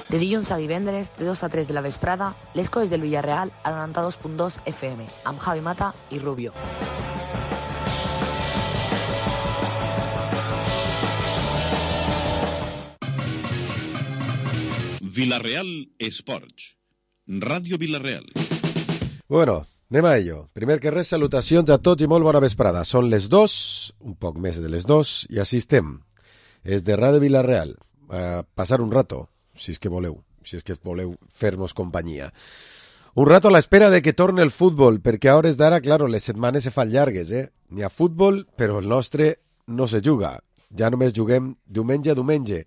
De dilluns a divendres, de 2 a 3 de la vesprada, les coses del Villarreal a 92.2 FM, amb Javi Mata i Rubio. Villarreal Esports, Ràdio Villarreal. Bueno, anem a ello. Primer que res, salutacions a tots i molt bona vesprada. Són les 2, un poc més de les 2, i així estem. És de Ràdio Villarreal. A passar un rato, si és que voleu fer-nos companyia. Un rato a l'espera de que torni el futbol, perquè a hores d'ara, claro, les setmanes se fan llargues, N'hi ha futbol, però el nostre no se juga. Ja només juguem diumenge a diumenge.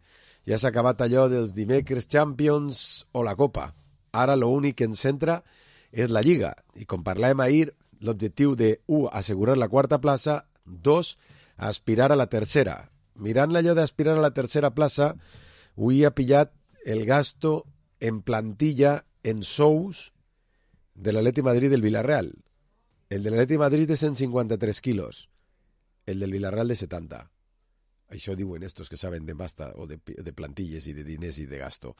Ja s'ha acabat allò dels dimecres Champions o la Copa. Ara l'únic que ens centra és la Lliga. I com parlàvem ahir, l'objectiu de 1, assegurar la quarta plaça, 2, aspirar a la tercera. Mirant allò d'aspirar a la tercera plaça, avui ha pillat el gasto en plantilla, en sous, de l'Atleti Madrid del Villarreal. El de l'Atleti Madrid de 153 quilos. El del Villarreal de 70. Això diuen estos que saben de pasta o de plantilles i de diners i de gasto.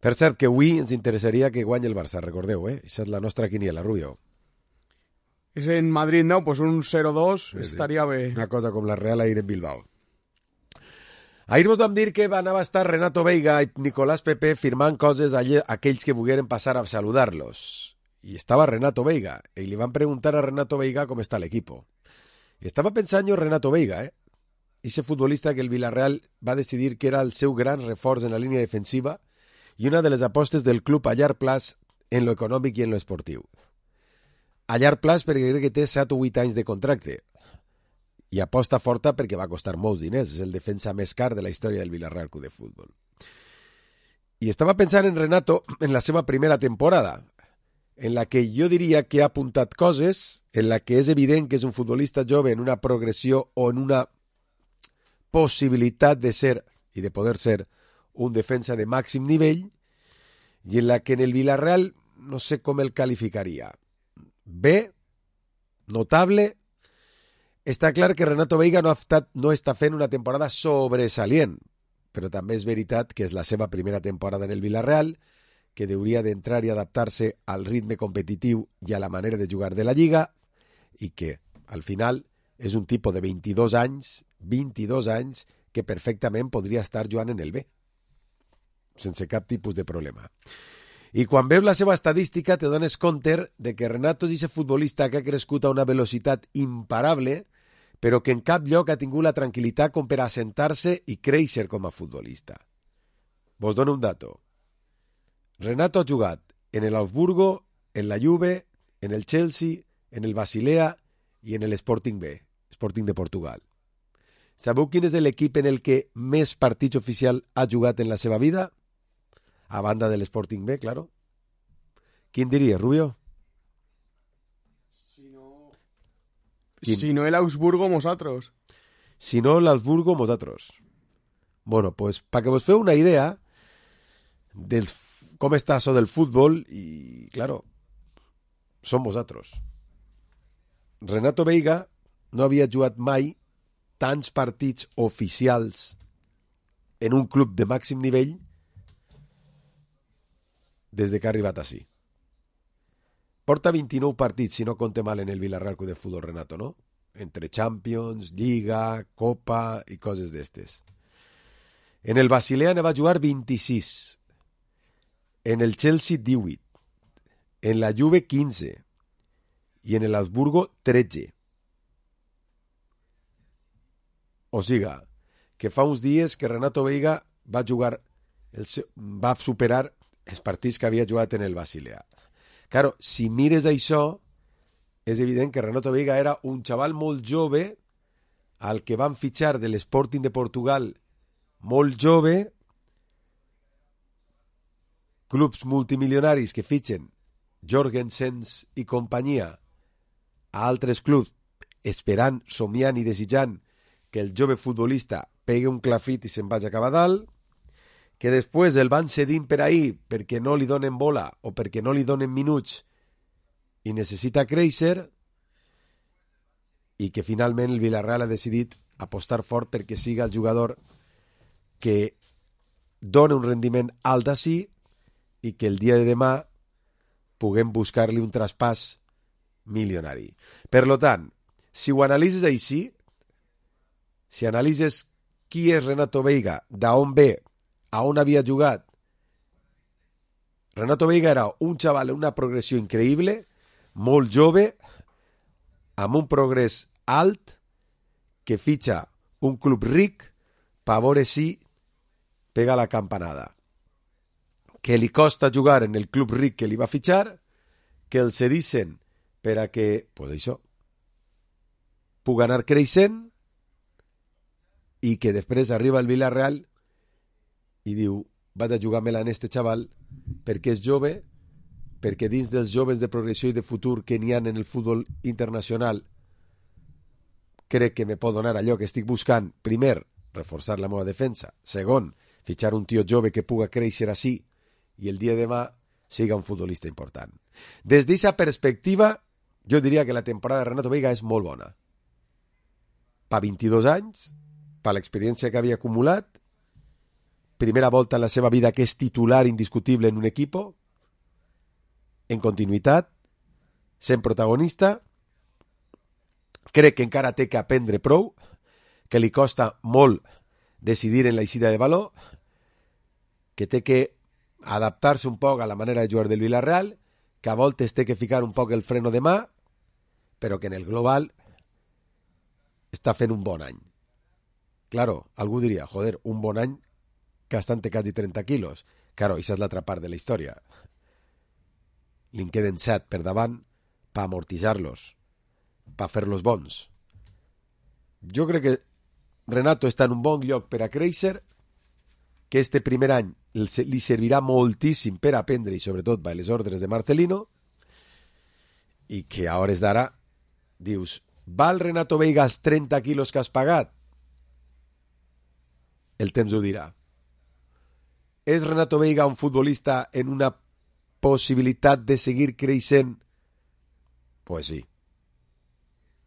Per cert, que avui ens interessaria que guanyi el Barça, recordeu, Això és la nostra quiniela, Rubio. És en Madrid, no? Pues un 0-2 estaria bé. Una cosa com la Real ahir en Bilbao. Ahir vos vam dir que van a estar Renato Veiga i Nicolás Pepe firmant coses a aquells que volgueren passar a saludar-los. I estava Renato Veiga, i li van preguntar a Renato Veiga com està l'equipo. I estava pensant jo Renato Veiga, Ese futbolista que el Villarreal va decidir que era el seu gran reforç en la línia defensiva i una de les apostes del club a llarg plaç en lo econòmic i en lo esportiu. A llarg plaç perquè crec que té 7 o 8 anys de contracte i aposta forta perquè va costar molts diners. És el defensa més car de la història del Villarreal Club de Futbol. I estava pensant en Renato en la seva primera temporada, en la que jo diria que ha apuntat coses, en la que és evident que és un futbolista jove en una progressió o en una possibilitat de ser i de poder ser un defensa de màxim nivell, i en la que en el Villarreal no sé com el qualificaria. Bé, notable. Està clar que Renato Veiga no està fent una temporada sobresalient, però també és veritat que és la seva primera temporada en el Villarreal, que hauria d'entrar i adaptar-se al ritme competitiu i a la manera de jugar de la Lliga, i que, al final, és un tipus de 22 anys que perfectament podria estar jugant en el B, sense cap tipus de problema. I quan veus la seva estadística te dones compte de que Renato és aquest futbolista que ha crescut a una velocitat imparable, però que en cap lloc ha tingut la tranquil·litat com per assentar-se i créixer com a futbolista. Vos dono un dato. Renato ha jugat en el Augsburgo, en la Juve, en el Chelsea, en el Basilea i en el Sporting B, Sporting de Portugal. Sabeu quin és l'equip en el que més partits oficial ha jugat en la seva vida? A banda de l'Sporting B, claro. Quin diria, Rubio? Si no el Augsburgo, nosaltres. Si no l'Augsburgo, nosaltres. Bueno, pues, para que vos feu una idea de com està això del futbol, i, claro, som vosaltres. Renato Veiga no havia jugat mai tants partits oficials en un club de màxim nivell des de que ha arribat així. Porta 29 partits, si no compte mal, en el Villarreal Club de Futbol, Renato, no? Entre Champions, Lliga, Copa i coses d'estes. En el Basilea ne va jugar 26, en el Chelsea 18, en la Juve 15 i en el Augsburgo 13. O siga, que fa uns dies que Renato Veiga va superar els partits que havia jugat en el Basilea. Claro, si mires això, és evident que Renato Veiga era un xaval molt jove al que van fitxar de l'Sporting de Portugal molt jove, clubs multimilionaris que fitxen Jorgensens i companyia a altres clubs esperant, somiant i desitjant que el jove futbolista pegui un clafit i se'n vagi a acabar dalt, que després el van cedint per ahir perquè no li donen bola o perquè no li donen minuts i necessita créixer, i que finalment el Villarreal ha decidit apostar fort perquè siga el jugador que dona un rendiment alt d'ací i que el dia de demà puguem buscar-li un traspàs milionari. Per lo tant, si ho analitzes així, si analitzes qui és Renato Veiga, d'on ve, a on havia jugat, Renato Veiga era un xaval en una progressió increïble, molt jove, amb un progrés alt, que fitxa un club ric per veure si pega la campanada. Que li costa jugar en el club ric que li va fitxar, que el cedissin per a que, pues això, pugui anar creixent i que després arriba al Villarreal i diu, vaig a jugar-me-la en este xaval perquè és jove, perquè dins dels joves de progressió i de futur que n'hi ha en el futbol internacional crec que me pot donar allò que estic buscant. Primer, reforçar la meva defensa. Segon, fitxar un tio jove que puga créixer així i el dia de demà siga un futbolista important. Des d'aquesta perspectiva, jo diria que la temporada de Renato Veiga és molt bona. Pa 22 anys, per l'experiència que havia acumulat, primera volta en la seva vida que és titular indiscutible en un equip, en continuïtat, sent protagonista, crec que encara té que aprendre prou, que li costa molt decidir en l'eixida de valor, que té que adaptar-se un poc a la manera de jugar del Villarreal, que a voltes té que ficar un poc el freno de mà, però que en el global està fent un bon any. Claro, algú diria, joder, un bon any gastant-te quasi 30 quilos. Claro, això és l'altra part de la història. Li'n queden 7 per davant per amortitzar-los, per fer-los bons. Jo crec que Renato està en un bon lloc per a créixer, que este primer any li servirà moltíssim per aprendre i sobretot per les ordres de Marcelino, i que a hores d'ara dius, val Renato Veiga els 30 quilos que has pagat? El temps ho dirà. És Renato Veiga un futbolista en una possibilitat de seguir creixent? Pues sí.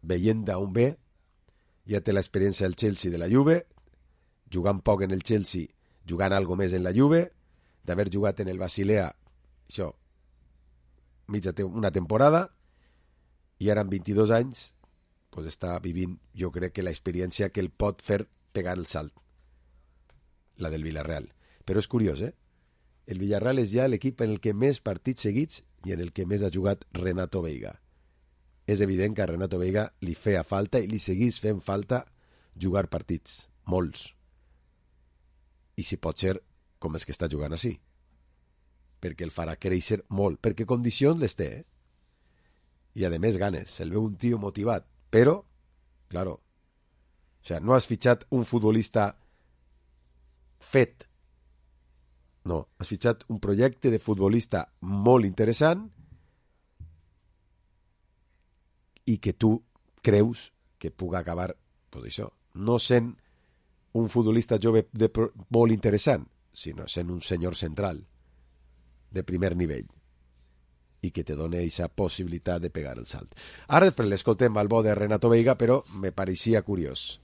Veient d'on ve, ja té l'experiència del Chelsea, de la Juve, jugant poc en el Chelsea, jugant algo més en la Juve, d'haver jugat en el Basilea, això, una temporada, i ara amb 22 anys, pues està vivint, jo crec que l'experiència que el pot fer pegar el salt, la del Villarreal. Però és curiós, El Villarreal és ja l'equip en el que més partits seguits i en el que més ha jugat Renato Veiga. És evident que a Renato Veiga li feia falta i li seguís fent falta jugar partits, molts. I si pot ser com és que està jugant així. Perquè el farà créixer molt, perquè condicions les té, I a més ganes, se'l veu un tio motivat, però, claro, o sea, no has fitxat un futbolista fet, no, has fitxat un projecte de futbolista molt interessant i que tu creus que puga acabar, pues això, no sent un futbolista jove molt interessant, sinó sent un senyor central de primer nivell i que te dona aquesta possibilitat de pegar el salt. Ara després l'escoltem al bo de Renato Veiga, però me pareixia curiós.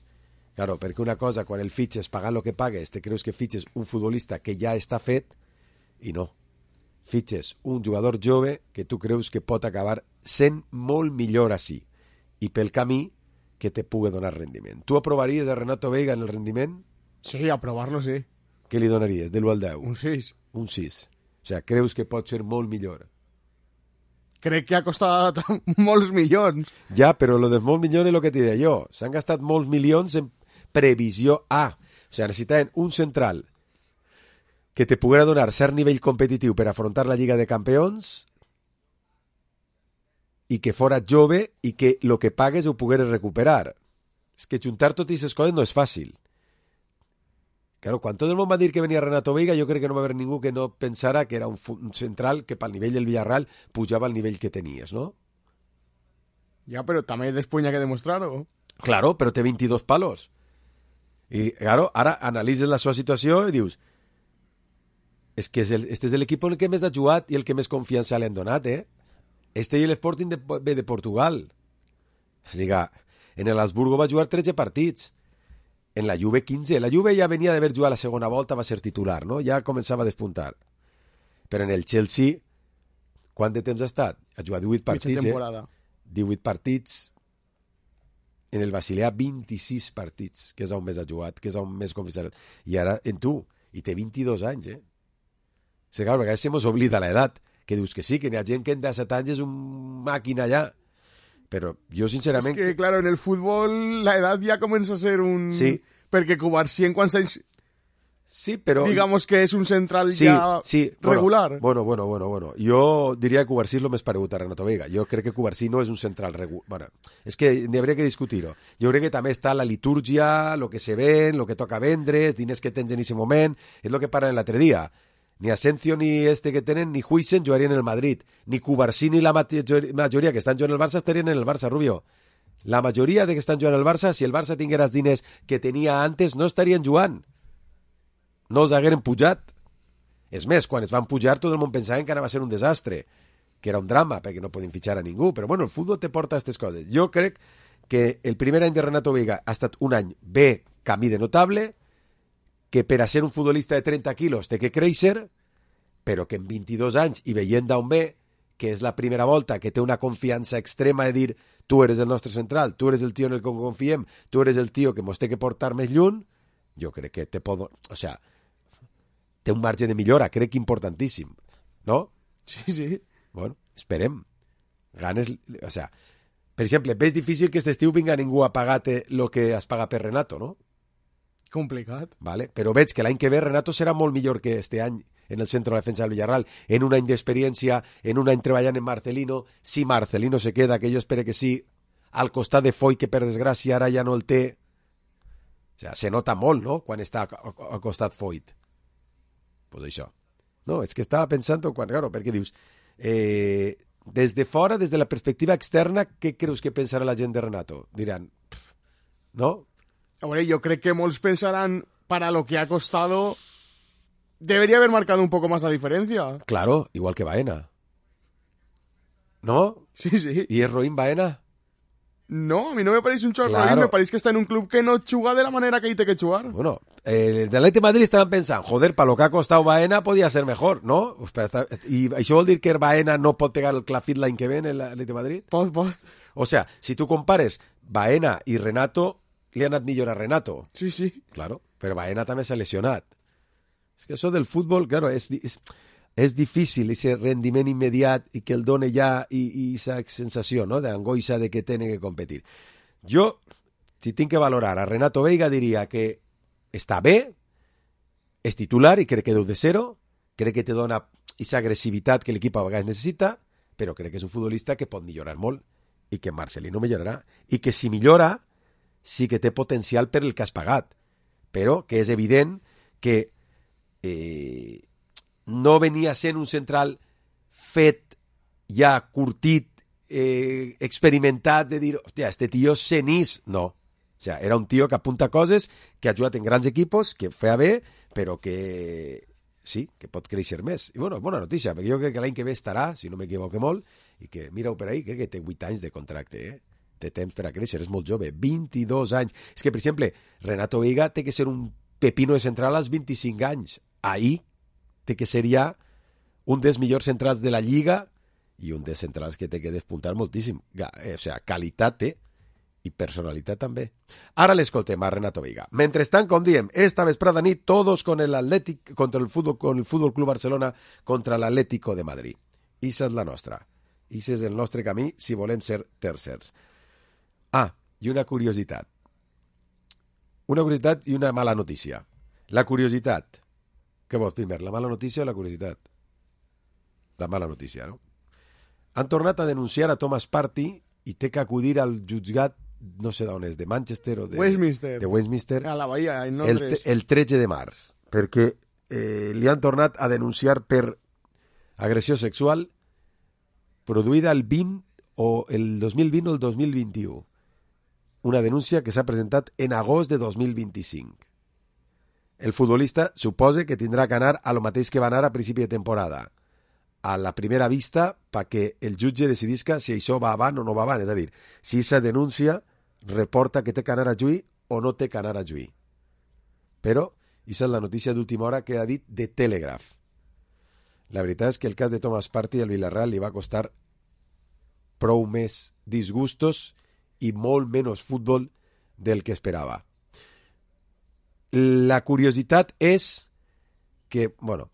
Claro, perquè una cosa, quan el fitxes pagant el que pagues, te creus que fitxes un futbolista que ja està fet, i no. Fitxes un jugador jove que tu creus que pot acabar sent molt millor així, i pel camí que te pugui donar rendiment. Tu aprovaries a Renato Veiga en el rendiment? Sí, aprovar-lo sí. Què li donaries, de l'1 al 10? Un 6. Un 6. O sigui, creus que pot ser molt millor? Crec que ha costat molts milions. Ja, però lo dels molts milions és el que t'hi deia jo. S'han gastat molts milions en previsió A. O sigui, necessitaven un central que te poguera donar cert nivell competitiu per afrontar la Lliga de Campions i que fora jove i que el que pagues ho pogueres recuperar. És que juntar totes aquestes coses no és fàcil. Claro, quan tot el món va dir que venia Renato Veiga, jo crec que no va haver ningú que no pensara que era un central que pel nivell del Villarreal pujava al nivell que tenies, ¿no? Ja, però també després hi ha que demostrar-ho. Claro, però té 22 palos. I, claro, ara analitzes la seva situació i dius és que este és l'equip en el que més ha jugat i el que més confiança li han donat, Este i l'Sporting de Portugal. O sigui, en el Habsburgo va jugar 13 partits. En la Juve 15. La Juve ja venia d'haver jugat la segona volta, va ser titular, no? Ja començava a despuntar. Però en el Chelsea, quant de temps ha estat? Ha jugat 18 partits, 18 partits. En el Basilea, 26 partits, que és on més ha jugat, que és on més confiança. I ara, en tu, i té 22 anys, eh? O sigui, clar, a vegades se mos oblida l'edat, que dius que sí, que n'hi ha gent que en 17 anys és un màquina allà. Pero yo sinceramente... Es que, claro, en el fútbol la edad ya comienza a ser un... Sí. Porque Cubarsí en cuanto a... Sí, pero... Digamos que es un central ya regular. Bueno. Jo diria que Cubarsí és el més paregut a Renato Veiga. Jo crec que Cubarsí no és un central regular. Bueno, és que n'hi hauria que discutir-ho. Jo crec que també està la litúrgia, lo que se ven, lo que toca vendre, els diners que tens en aquest moment, és el que parlen l'altre dia. Ni Asensio ni este que tenen, ni Huijsen jugarien en el Madrid. Ni Cubarsí ni la majoria que estan jugant en el Barça estarien en el Barça, Rubio. La majoria de que estan jugant en el Barça, si el Barça tinguera els diners que tenia antes, no estarien jugant. No els hagueren pujat. És més, quan es van pujar, tot el món pensava que anava a ser un desastre, que era un drama, perquè no podien fitxar a ningú. Però bueno, el futbol te porta a aquestes coses. Jo crec que el primer any de Renato Veiga ha estat un any bé, camí de notable, que per a ser un futbolista de 30 quilos té que créixer, però que en 22 anys, i veient d'on ve, que és la primera volta, que té una confiança extrema de dir tu eres el nostre central, tu eres el tio en el que confiem, tu eres el tio que mos té que portar més lluny, jo crec que té un marge de millora, crec que importantíssim, no? Sí. Bueno, esperem. Ganes, per exemple, ves difícil que este estiu vinga ningú a pagar-te el que has pagat per Renato, no? Complicat. Vale? Però veig que l'any que ve Renato serà molt millor que este any en el centre de defensa del Villarreal, en un any d'experiència, en un any treballant en Marcelino, si Marcelino se queda, que jo espero que sí, al costat de Foy, que per desgràcia ara ja no el té. O sea, se nota molt, no?, quan està al costat Foyt. Pues això. No, és que estava pensant, claro, perquè dius, des de fora, des de la perspectiva externa, què creus que pensarà la gent de Renato? Diran, no? Hombre, yo creo que molts pensarán, para lo que ha costado, debería haber marcado un poco más la diferencia. Claro, igual que Baena. ¿No? Sí. ¿Y es Roín Baena? No, a mí no me parece un chorro. Claro. Me parece que está en un club que no chuga de la manera que hay que chugar. Bueno, de Atleti Madrid estaban pensando, joder, para lo que ha costado Baena podía ser mejor, ¿no? ¿Y això vol dir que Baena no pot pegar el clafit l'any que ve en l'Atleti Madrid? Pot. O sea, si tu compares Baena i Renato, li ha anat millor a Renato. Sí. Claro, però Baena també s'ha lesionat. És que això del futbol, claro, és difícil, ese rendiment immediat i que el done ja i esa sensació, no?, d'angoixa de que tiene que competir. Jo, si tinc que valorar a Renato Veiga, diria que està bé, és titular i crec que deu de ser-ho, crec que te dona esa agressivitat que l'equip a vegades necessita, però crec que és un futbolista que pot millorar molt i que Marcelino millorarà. I que si millora, sí que té potencial per el que has pagat, però que és evident que no venia sent un central fet, ja curtit, experimentat, de dir, hòstia, este tio cenís. No. O sea, era un tio que apunta coses, que ha jugat en grans equipos, que feia bé, però que sí, que pot créixer més. I bueno, bona notícia, perquè jo crec que l'any que ve estarà, si no m'equivoque molt, i que, mira-ho per ahí, crec que té 8 anys de contracte, té temps per a créixer, és molt jove, 22 anys. És que, per exemple, Renato Veiga té que ser un pepino de central als 25 anys. Ahí té que ser ja un dels millors centrals de la Lliga i un dels centrals que té que despuntar moltíssim. O sea, qualitat té i personalitat també. Ara l'escoltem a Renato Veiga. Mentrestant, com diem, esta vesprada nit, todos con el Athletic, contra el Fútbol Club Barcelona contra l'Atlético de Madrid. Issa és la nostra. Issa és el nostre camí si volem ser tercers. I una curiositat. Una curiositat i una mala notícia. La curiositat. Què vols primer, la mala notícia o la curiositat? La mala notícia, no? Han tornat a denunciar a Thomas Partey i té que acudir al jutjat, no sé d'on és, de Manchester o de Westminster, a la Bahia, en Londres, el 13 de març, perquè li han tornat a denunciar per agressió sexual produïda el 20 o el 2020 o el 2021. Una denúncia que s'ha presentat en agost de 2025. El futbolista suposa que tindrà que anar a lo mateix que va anar a principi de temporada, a la primera vista, perquè el jutge decidisca si això va avant o no va avant. És a dir, si aquesta denúncia reporta que té que anar a juir o no té que anar a juir. però aquesta és la notícia d'última hora que ha dit The Telegraph. La veritat és que el cas de Thomas Partey al Villarreal li va costar prou més disgustos i molt menys futbol del que esperava. La curiositat és que, bueno,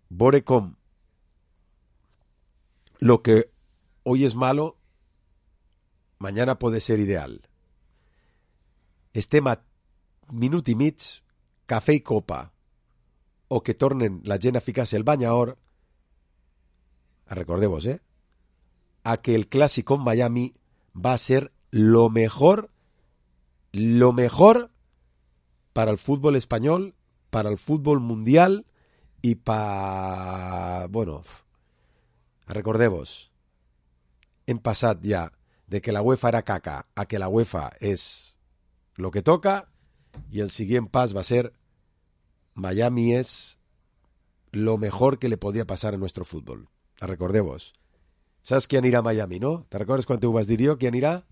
veure com lo que hoy es malo, mañana puede ser ideal. Estem a minut i mig, cafè i copa, o que tornen la gent a ficar-se el banyaor, recordeu-vos, a que el clásico en Miami va a ser lo mejor para el fútbol español, para el fútbol mundial y para... Bueno, recordeu-vos, hem passat ja de que la UEFA era caca a que la UEFA és lo que toca y el siguiente pas va a ser Miami es lo mejor que le podía pasar a nuestro fútbol. Recordeu-vos. Saps qui anirà a Miami, no? Te recordes quan ho vas dir jo? Qui anirà?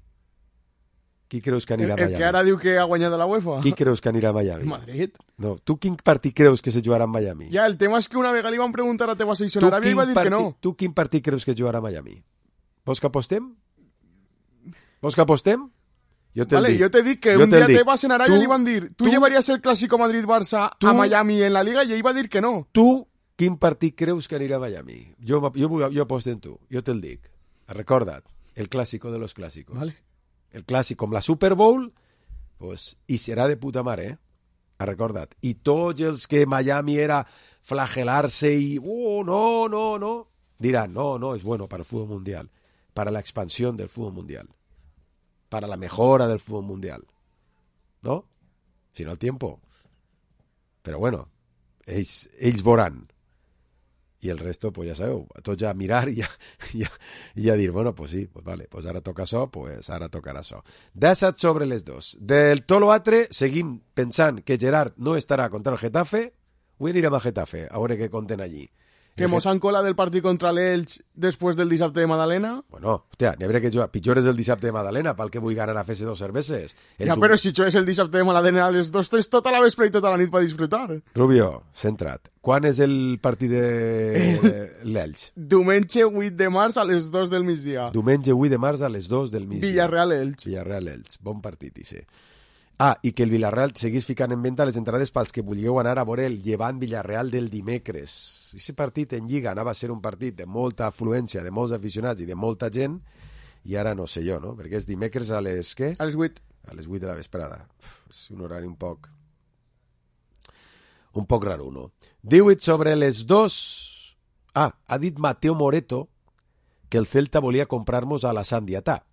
Qui creus que anirà a Miami? El que ara diu que ha guanyat la UEFA. Qui creus que anirà a Miami? Madrid. No, tu quin partit creus que se jugarà a Miami? Ja, el tema és que una vegada li van preguntar a teva secció a Aràbia i va dir que no. Tu quin partit creus que jugarà a Miami? Vols que apostem? Jo te'l dic. Jo t'he dit que un dia tebas en Aràbia li van dir tu llevaries el Clásico Madrid-Barça a Miami en la Liga i ell va dir que no. Tu quin partit creus que anirà a Miami? Jo aposto en tu, jo te'l dic. Recorda't, el clásico de los clásicos. Vale. El clàssic com la Super Bowl, pues, i serà de puta mare, recorda't. I tots els que Miami era flagelar-se i no, diran, no, es bueno para el fútbol mundial, para la expansión del fútbol mundial, para la mejora del fútbol mundial. ¿No? Si no el tiempo. Pero bueno, ells veuran. I el resto, pues ja sabeu, tots ja a mirar i a dir, bueno, pues sí, pues vale, pues ara toca això, pues ara tocarà això. 17 sobre les 2. Del tot l'altre, seguim pensant que Gerard no estarà contra el Getafe. Avui anirem a Getafe, a veure què conten allí. Que mos han colat del partit contra l'Elx després del dissabte de Madalena. Bueno, hòstia, n'hi hauria que jugar. Pitjor és el dissabte de Madalena, pel que vull ganar a fer-se 2 cerveses. Però si això és el dissabte de Madalena a les 2, tens tota la vespre i tota la nit per disfrutar. Rubio, centra't. Quan és el partit de l'Elx? Diumenge 8 de març a les 2 del migdia. Diumenge 8 de març a les 2 del migdia. Villarreal-Elx. Villarreal-Elx. Bon partit, i sí. I que el Villarreal seguís ficant en venda les entrades pels que vulgueu anar a veure el Llevant Villarreal del dimecres. Aquest partit en Lliga anava a ser un partit de molta afluència, de molts aficionats i de molta gent, i ara no sé jo, no? Perquè és dimecres a les què? A les 8. A les 8 de la vesprada. És un horari un poc raro, no? 18 sobre les 2... ha dit Mateo Moreto que el Celta volia comprar-nos a la Sandiatà.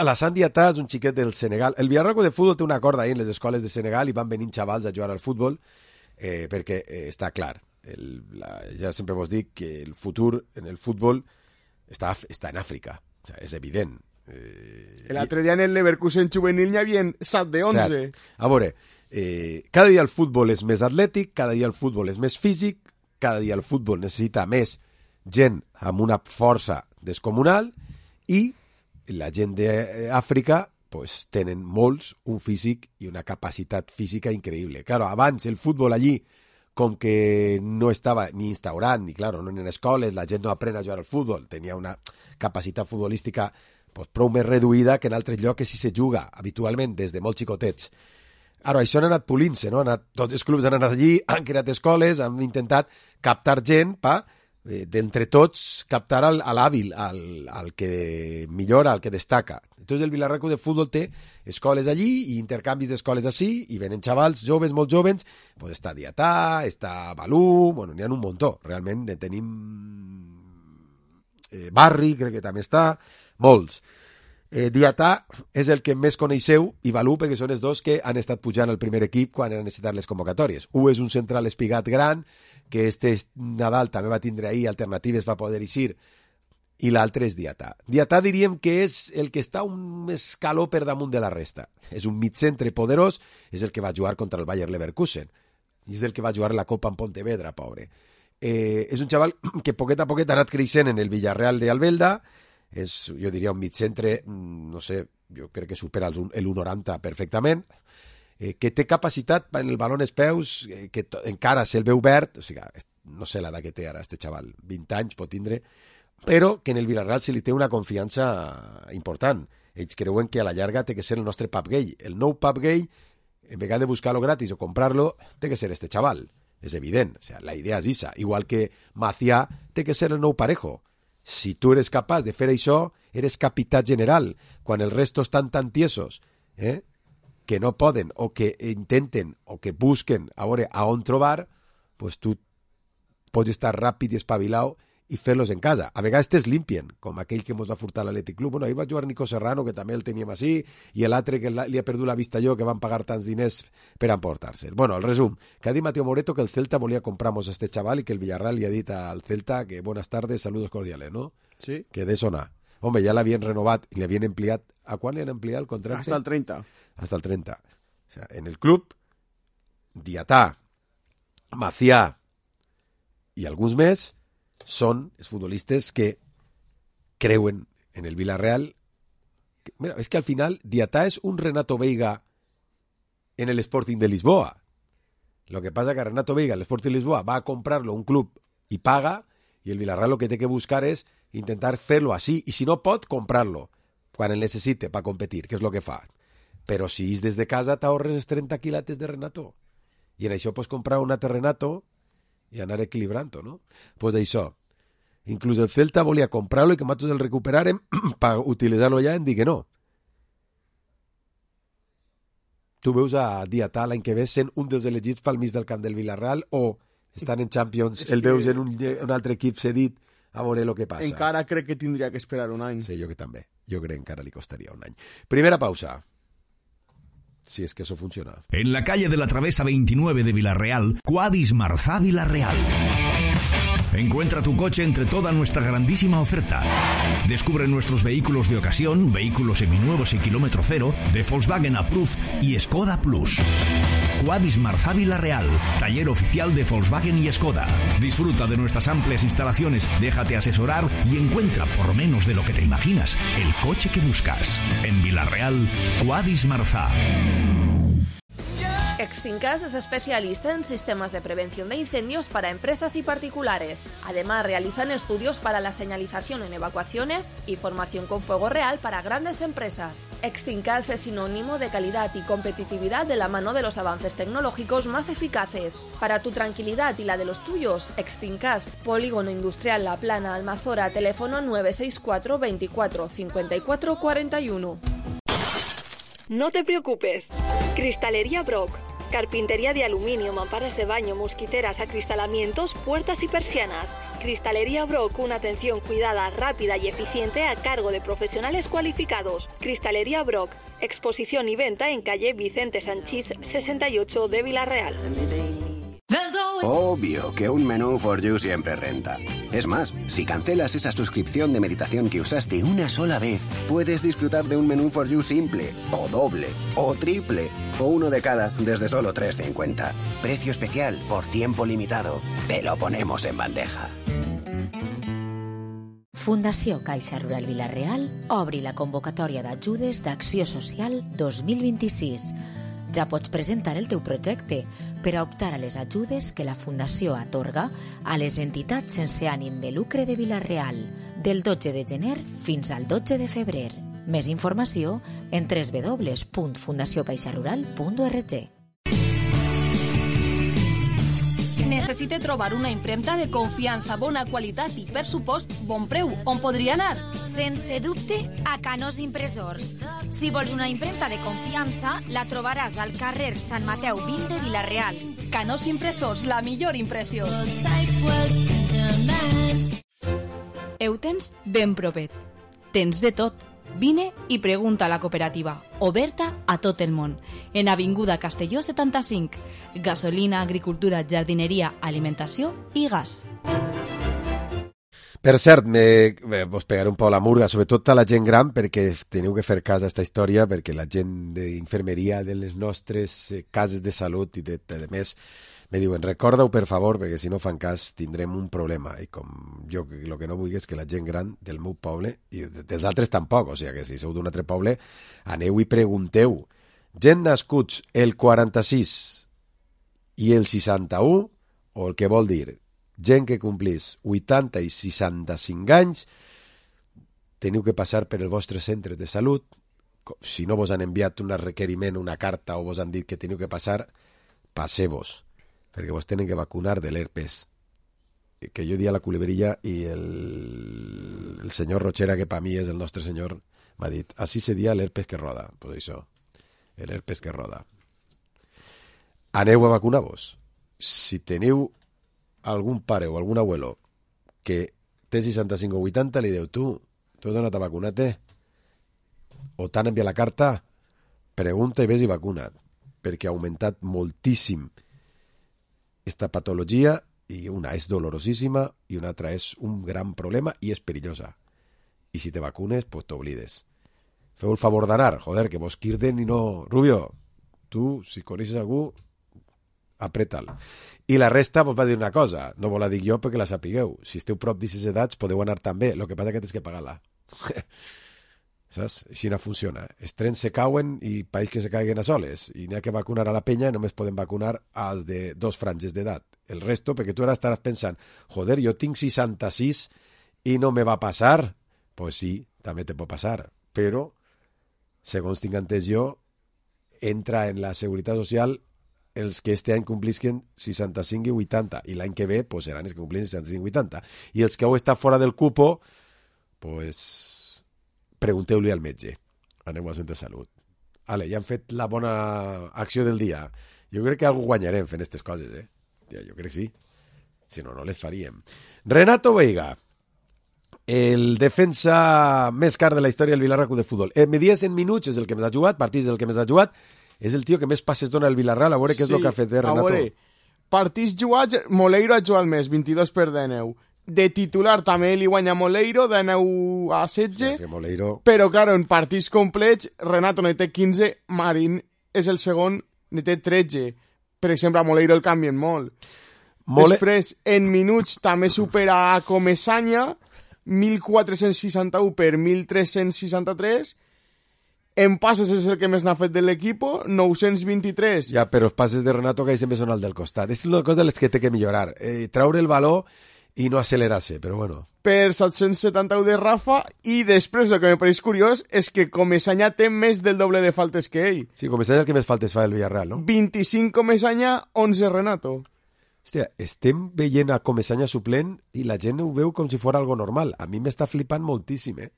La Sandiatà és un xiquet del Senegal. El Villarreal de futbol té una corda ahí en les escoles de Senegal i van venint xavals a jugar al futbol perquè està clar. Ja sempre vos dic que el futur en el futbol està en Àfrica. O sea, és evident. L'altre dia en el Leverkusen juvenil n'hi havia 7 de 11. Cert. A veure, cada dia el futbol és més atlètic, cada dia el futbol és més físic, cada dia el futbol necessita més gent amb una força descomunal i la gent d'Àfrica pues, tenen molts un físic i una capacitat física increïble. Claro, abans el futbol allí, com que no estava ni instaurat, ni claro, no en escoles, la gent no aprèn a jugar al futbol, tenia una capacitat futbolística pues, prou més reduïda que en altres llocs que si se juga habitualment des de molt xicotets. Ara, això han anat polint-se, no? Tots els clubs han anat allí, han creat escoles, han intentat captar gent per d'entre tots captar a l'hàbil, al que millora, al que destaca. Entonces el Villarreal de futbol té escoles allí i intercanvis d'escoles així i venen xavals joves, molt joves, pues està Diatà, està Balú, bueno, n'hi ha un muntó, realment tenim Barri, crec que també està, molts. Diatà és el que més coneixeu i Balú perquè són els dos que han estat pujant al primer equip quan han necessitat les convocatòries. Un és un central espigat gran que este Nadal també va tindre ahir alternatives va poder eixir i l'altre és Diatà. Diatà diríem que és el que està un escaló per damunt de la resta. És un mitcentre poderós, és el que va jugar contra el Bayer Leverkusen i és el que va jugar la Copa en Pontevedra, pobre. És un xaval que poquet a poquet ha anat creixent en el Villarreal d'Albelda. És, jo diria, un mitcentre, no sé, jo crec que supera el 1,90 perfectament, que té capacitat en el baló en els peus, que encara se'l veu verd, o sigui, no sé l'edat que té ara este xaval, 20 anys pot tindre, però que en el Villarreal se li té una confiança important. Ells creuen que a la llarga té que ser el nostre Pap Gay. El nou Pap Gay, en vegada de buscar-lo gratis o comprar-lo, té que ser este xaval. És evident, o sea, la idea és esa. Igual que Macià té que ser el nou Parejo. Si tu eres capaç de fer això, eres capità general. Quan els restos estan tan tiesos, que no poden, o que intenten, o que busquen a veure a on trobar, pues tu pots estar ràpid i espavilau i fer-los en casa. A vegades te'ls limpien, com aquell que mos va furtar l'Atlètic Club. Bueno, ahir va jugar Nico Serrano, que també el teníem així, i l'altre que li ha perdut la vista jo, que van pagar tants diners per emportar-se'l. Bueno, el resum, que ha dit Mateo Moreto que el Celta volia compramos a este chaval i que el Villarreal li ha dit al Celta que buenas tardes, saludos cordiales, ¿no? Sí. Que de eso nada. Hombre, ja l'havien renovat i l'havien ampliat. ¿A quan li han ampliat el contracte? Hasta el 30. Hasta el 30. O sea, en el club, Diatà, Macià i alguns més són els futbolistes que creuen en el Villarreal. Mira, és que al final Diatà és un Renato Veiga en el Sporting de Lisboa. Lo que pasa que Renato Veiga, el Sporting de Lisboa, va a comprarlo un club y paga, y el Villarreal lo que té que buscar és intentar fer-lo així, i si no pot, comprar-lo quan el necessite per competir, que és el que fa. Però si és des de casa t'ahorres els 30 quilates de Renato, i en això pots comprar un altre Renato i anar equilibrant-ho, no? Pues d'això. Inclús el Celta volia comprar-lo i que nosaltres el recuperarem per utilitzar-lo ja, en dir que no. Tu veus a Diatà l'any que ve sent un dels elegits pel mig del camp del Villarreal, o estan en Champions, el veus en un altre equip cedit a veure el que passa. Encara crec que tindria que esperar un any. Sí, jo que també. Jo crec que encara li costaria un any. Primera pausa. Si es que eso funciona. En la calle de la Travesa 29 de Villarreal, Quadis Marzá Villarreal. Encuentra tu coche entre toda nuestra grandísima oferta. Descubre nuestros vehículos de ocasión, vehículos seminuevos y kilómetro cero, de Volkswagen Approved y Skoda Plus. Quadis Marzá Villarreal, taller oficial de Volkswagen y Skoda. Disfruta de nuestras amplias instalaciones, déjate asesorar y encuentra, por menos de lo que te imaginas, el coche que buscas. En Villarreal, Quadis Marzá. Extincas es especialista en sistemas de prevención de incendios para empresas y particulares. Además, realizan estudios para la señalización en evacuaciones y formación con fuego real para grandes empresas. Extincas es sinónimo de calidad y competitividad de la mano de los avances tecnológicos más eficaces. Para tu tranquilidad y la de los tuyos, Extincas, Polígono Industrial La Plana, Almazora, teléfono 964 24 54 41. No te preocupes. Cristalería Brock. Carpintería de aluminio, mamparas de baño, mosquiteras, acristalamientos, puertas y persianas. Cristalería Brock, una atención cuidada, rápida y eficiente a cargo de profesionales cualificados. Cristalería Brock, exposición y venta en calle Vicente Sanchís 68 de Villarreal. Obvio que un menú For You siempre renta. Es más, si cancelas esa suscripción de meditación que usaste una sola vez, puedes disfrutar de un menú For You simple, o doble, o triple, o uno de cada desde solo 3,50. Precio especial por tiempo limitado. Te lo ponemos en bandeja. Fundació Caixa Rural Villarreal obri la convocatòria d'ajudes d'Acció Social 2026. Ja pots presentar el teu projecte per a optar a les ajudes que la Fundació atorga a les entitats sense ànim de lucre de Villarreal del 12 de gener fins al 12 de febrer. Més informació en www.fundaciocaixarural.org. Necessite trobar una impremta de confiança, bona qualitat i, per supost, bon preu. On podria anar? Sense dubte, a Canós Impressors. Si vols una impremta de confiança, la trobaràs al carrer Sant Mateu 20 de Vila-real. Canós Impressors, la millor impressió. Ho tens ben propet. Tens de tot. Vine i pregunta a la cooperativa, oberta a tot el món, en Avinguda Castelló 75. Gasolina, agricultura, jardineria, alimentació i gas. Per cert, vos pegaré un poc la murga, sobretot a la gent gran, perquè teniu que fer cas a aquesta història, perquè la gent d'infermeria de les nostres cases de salut i de més me diuen, recorda-ho per favor, perquè si no fan cas tindrem un problema. I com jo el que no vull és que la gent gran del meu poble, i dels altres tampoc, o sigui que si sou d'un altre poble, aneu i pregunteu gent nascuts el 46 i el 61, o el que vol dir, gent que complís 80 i 65 anys, teniu que passar per els vostres centres de salut. Si no vos han enviat un requeriment, una carta, o vos han dit que teniu que passar, passeu-vos, perquè vos tenen que vacunar de l'herpes. Que jo dia a la Culebrilla i el senyor Rochera, que per mi és el nostre senyor, m'ha dit, així se dia l'herpes que roda. Pues això, l'herpes que roda. Aneu a vacunar-vos. Si teniu algun pare o algun abuelo que té 65 o 80, li diu, tu has anat a vacunar-te? O t'han enviat la carta? Pregunta i ves i vacuna't, perquè ha augmentat moltíssim esta patologia, i una és dolorosíssima i una altra és un gran problema i és perillosa. I si te vacunes, pues t'oblides. Feu el favor d'anar, joder, que vos quirden i no... Rubio, tu, si coneixes algú, apreta'l. I la resta vos va dir una cosa, no vos la dic jo perquè la sapigueu. Si esteu prop d'aquestes edats podeu anar també, el que passa que tens que pagar-la. Saps? Així no funciona. Els trens se cauen i país que se caiguen a soles. I n'hi ha que vacunar a la penya i només poden vacunar als de 2 franges d'edat. El resto, perquè tu ara estaràs pensant, joder, jo tinc 66 i no me va passar. Pues sí, també te pot passar. Però, segons tinc entès jo, entra en la Seguretat Social els que este any complisquen 65 i 80, i l'any que ve pues, seran els que complin 65 i 80. I els que heu estat fora del cupo, pues, pregunteu-li al metge. Aneu al centre de salut. Ale, ja han fet la bona acció del dia. Jo crec que algú guanyarem fent aquestes coses, eh? Ja, jo crec que sí. Si no, no les faríem. Renato Veiga, el defensa més car de la història del Vilarraco de futbol. Medies en minuts és el que més ha jugat, partits del que més ha jugat. És el tio que més passes dona el Villarreal. A veure què és el que ha fet, Renato. A veure, partits jugats, Moleiro ha jugat més, 22 per 19. De titular també li guanya Moleiro, de 9 a 16. Sí, Moleiro... Però, clar, en partits complets, Renato ne té 15, Marín és el segon, ne té 13. Per exemple, a Moleiro el canvien molt. Després, en minuts, també supera a Comesaña, 1.461 per 1.363. En passes és el que més n'ha fet de l'equip, 923. Ja, però els passes de Renato que sempre són al del costat. És una cosa de les que té que millorar. Traure el valor i no accelerar-se, però bueno. Per 771 de Rafa, i després el que me pareix curiós és que Comesaña té més del doble de faltes que ell. Sí, Comesaña el que més faltes fa el Villarreal, no? 25 Comesaña, 11 Renato. Hòstia, estem veient a Comesaña suplent i la gent ho veu com si fos algo normal. A mi m'està flipant moltíssim, eh?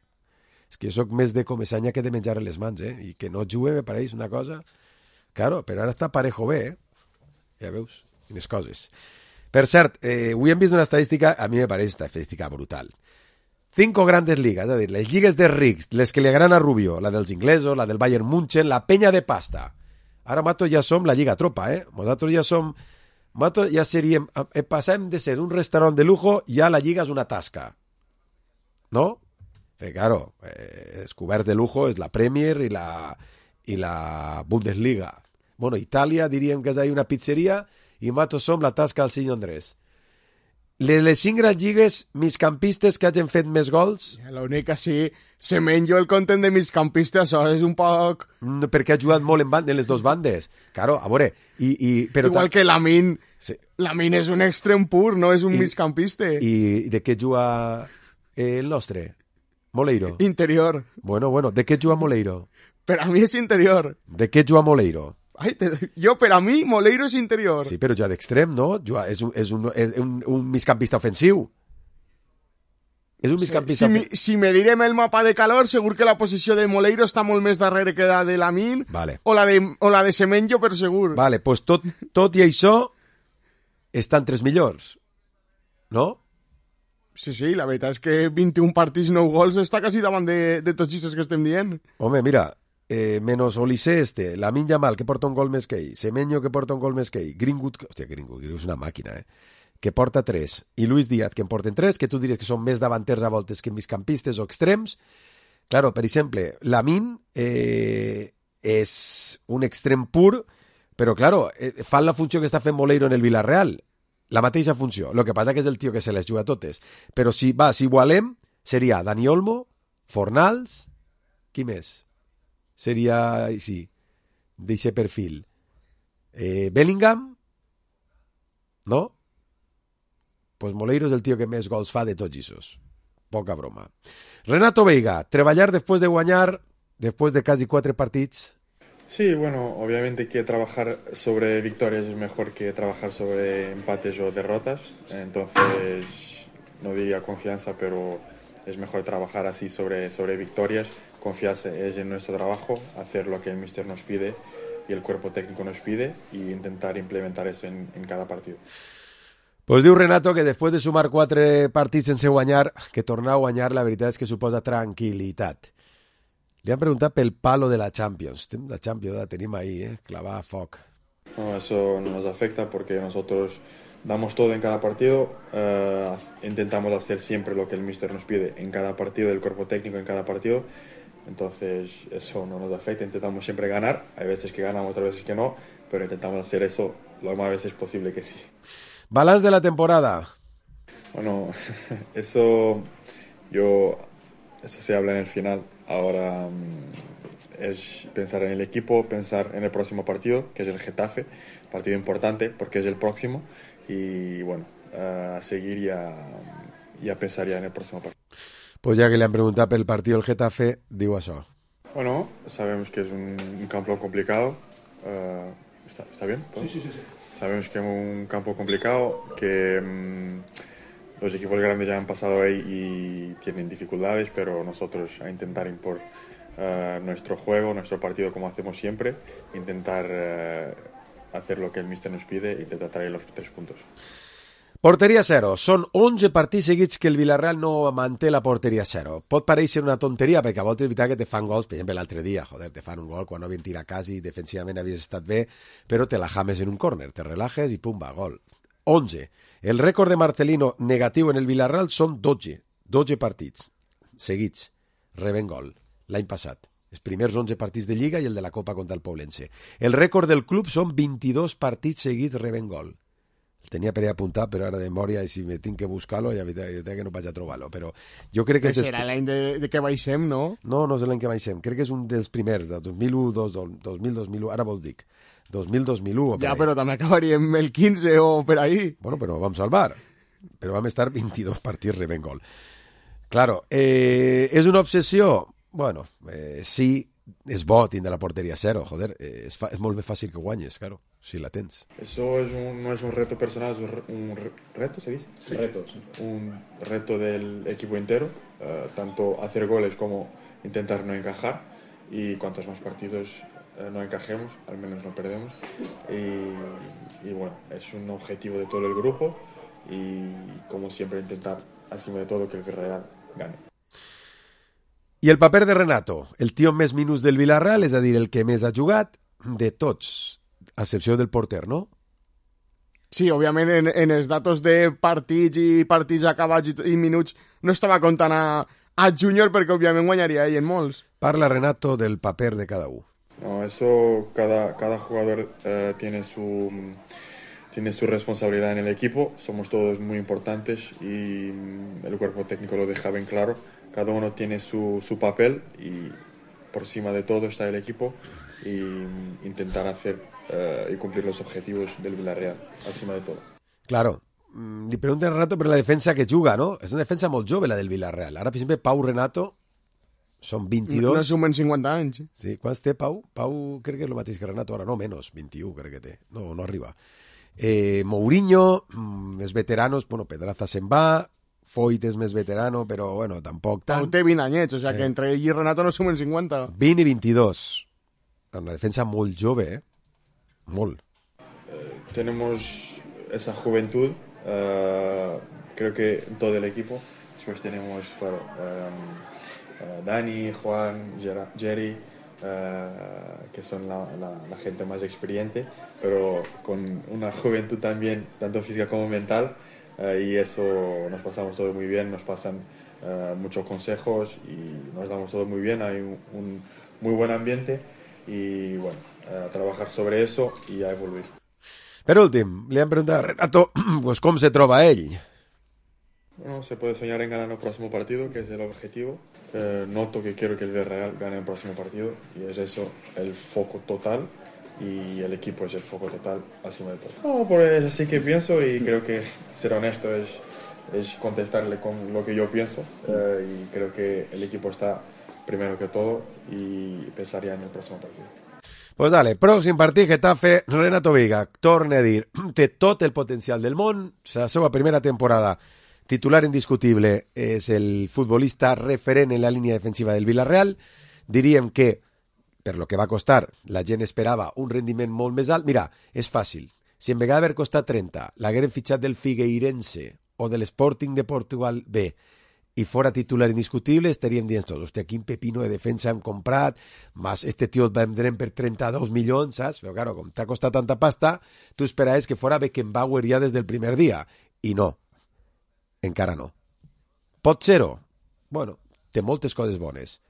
És que jo soc més de Comesaña que de menjar a les mans, eh? I que no jugue me pareix una cosa... Claro, però ara està parejo bé, eh? Ja veus, quines coses. Per cert, avui hem vist una estadística, a mi me pareix una estadística brutal. 5 grandes ligas, és a dir, les lligues de rics, les que li agraden a Rubio, la dels inglesos, la del Bayern München, la penya de pasta. Ara, mato, ja som la lliga tropa, eh? Nosaltres ja som... Mato, ja seríem... Passem de ser un restaurant de lujo, ja la lliga és una tasca. No? Pero claro, els coberts de lujo és la Premier i la Bundesliga. Bueno, Itàlia diríem que és ahí una pizzeria i nosaltres som la tasca del senyor Andrés. Les 5 grans lligues, migcampistes que hagin fet més gols... L'única sí, Semenyo el content de migcampista, això és un poc... Perquè ha jugat molt en les dues bandes. Claro, a veure... Però igual que Lamin. Sí. Lamin és un extrem pur, no és un migcampista. I de què juga el nostre? Moleiro. Interior. Bueno, de què juga Moleiro? Per a mi és interior. De què juga Moleiro? Ai, per a mi, Moleiro és interior. Sí, però ja d'extrem, no? És un migcampista ofensiu. És un migcampista ofensiu. Si medirem el mapa de calor, segur que la posició de Moleiro està molt més darrere que la de Lamin, vale. o la de Semenyo, per segur. Vale, pues tot i això estan 3 millors, no? Sí, la veritat és que 21 partits, 9 gols, està quasi davant de tots aquests que estem dient. Home, mira, menos Olise Lamin Yamal, que porta un gol més que ell, Semenyo, que porta un gol més que ell, Greenwood, hòstia, Greenwood és una màquina, que porta 3, i Luis Díaz, que en porten 3, que tu diries que són més davanters a voltes que migcampistes o extrems. Claro, per exemple, Lamin és un extrem pur, però, claro, fan la funció que està fent Moleiro en el Villarreal. La mateixa funció. El que passa que és el tio que se les juga totes. Però si igualem, seria Dani Olmo, Fornals, qui més? Seria, sí, d'eixe perfil? Bellingham? No? Pues Moleiro és el tio que més gols fa de tots esos. Poca broma. Renato Veiga, treballar després de guanyar, després de quasi 4 partits. Sí, bueno, obviamente que trabajar sobre victorias es mejor que trabajar sobre empates o derrotas. Entonces, no diría confianza, pero es mejor trabajar así sobre victorias. Confiarse es en nuestro trabajo, hacer lo que el míster nos pide y el cuerpo técnico nos pide y intentar implementar eso en cada partido. Pues diu Renato que després de sumar 4 partits sense guanyar, que tornar a guanyar la veritat és que suposa tranquil·litat. Li han preguntat pel palo de la Champions. La Champions la tenim ahí, clavada a foc. No, eso no nos afecta porque nosotros damos todo en cada partido, intentamos hacer siempre lo que el míster nos pide en cada partido, el cuerpo técnico en cada partido. Entonces eso no nos afecta, intentamos siempre ganar, hay veces que ganamos, otras veces que no, pero intentamos hacer eso lo más veces posible que sí. Balance de la temporada. Bueno, eso se habla en el final. Ahora es pensar en el equipo, pensar en el próximo partido, que es el Getafe, partido importante porque es el próximo, y bueno, a seguir y a pensar ya en el próximo partido. Pues ya que le han preguntado pel partido del Getafe, digo eso. Bueno, sabemos que es un campo complicado. ¿Está bien? Sí. Sabemos que es un campo complicado, que los equipos grandes ya han pasado ahí y tienen dificultades, pero nosotros a intentar impor nuestro juego, nuestro partido como hacemos siempre, intentar hacer lo que el míster nos pide y intentar traer los 3 puntos. Porteria 0. Són 11 partits seguits que el Villarreal no manté la porteria 0. Pot pareixer una tonteria, perquè a voltes és veritat que te fan gols, per exemple l'altre dia, te fan un gol quan no havien tirat quasi, defensivament havies estat bé, però te la james en un córner, te relajes i pumba, gol. 11. El rècord de Marcelino negatiu en el Villarreal són 12 partits seguits, rebent gol, l'any passat. Els primers 11 partits de Lliga i el de la Copa contra el Poblense. El rècord del club són 22 partits seguits rebent gol. El tenia per apuntar, però ara de memòria, i si me tinc que buscar-lo, ja que no vaig a trobar-lo. Però jo crec que... Serà l'any de que baixem, no? No és l'any que baixem. Crec que és un dels primers, de 2001, 2001, ara vol dic. 2000-2001. Ja, però també acabaríem el 15 o per ahí. Bueno, però vam salvar. Però vam estar 22 partits rebent gol. Claro, és una obsessió? Bueno, sí, és bo tindre la porteria 0, joder, és molt més fàcil que guanyes, claro, si la tens. Eso no es un reto personal, es un reto, ¿se dice? Sí. Reto, sí. Un reto del equipo entero, tanto hacer goles como intentar no encajar, y cuantos más partidos no encajemos, al menos no perdemos, y bueno, es un objetivo de todo el grupo, y como siempre intentar, encima de todo, que el Villarreal gane. I el paper de Renato, el tio amb més minuts del Villarreal, és a dir, el que més ha jugat de tots, a excepció del porter, no? Sí, òbviament en els datos de partits acabats i minuts no estava comptant a Júnior perquè òbviament guanyaria ell en molts. Parla Renato del paper de cada un. No, eso cada jugador tiene su responsabilidad en el equipo, somos todos muy importantes y el cuerpo técnico lo deja bien claro. Cada uno tiene su papel y por encima de todo está el equipo y intentar hacer y cumplir los objetivos del Villarreal, encima de todo. Claro, li pregunten a Renato per la defensa que juga, no? És una defensa molt jove, la del Villarreal. Ara, per exemple, Pau Renato són 22... No sumen 50 anys. Sí, quants té Pau? Pau crec que és el mateix que Renato, ara no, menys, 21 crec que té. No arriba. Mourinho, els veteranos, bueno, Pedraza se'n va, Foyt és més veterano, però bueno, tampoc tant. Pau té 20 anyets, o sigui que entre ell i Renato no sumen 50. 20 i 22. Una defensa molt jove, molt. Tenemos esa juventud, creo que en todo el equipo. Después tenemos, claro, Dani, Juan, Jerry, que son la gente más experiente, pero con una juventud también, tanto física como mental, y eso nos pasamos todo muy bien, nos pasan muchos consejos y nos damos todo muy bien, hay un muy buen ambiente y bueno, a trabajar sobre eso y a evoluir. Per últim, li han preguntat a Renato pues, com se troba ell. Bueno, se puede soñar en ganar el próximo partido, que es el objetivo. Noto que quiero que el Villarreal gane el próximo partido y es eso el foco total. y el equipo es el foco total encima de todo. No, pues así que pienso y creo que ser honesto es contestarle con lo que yo pienso y creo que el equipo está primero que todo y pensaría en el próximo partido. Pues dale, pròxim partit, Getafe, Renato Veiga torna a dir, té tot el potencial del món, la seva primera temporada titular indiscutible és el futbolista referent en la línia defensiva del Villarreal. Diríem que per lo que va costar, la gent esperava un rendiment molt més alt. Mira, és fàcil. Si en vegada d'haver costat 30, l'hagueren fitxat del Figueirense o de l'Sporting de Portugal B i fora titular indiscutible, estaríem dient tots, hòstia, quin pepino de defensa hem comprat, más este tio el vendrem per 32 milions, saps? Però claro, com t'ha costat tanta pasta, tu esperaves que fora Beckenbauer ja des del primer dia. I no. Encara no. Pot ser-ho? Bueno, té moltes coses bones.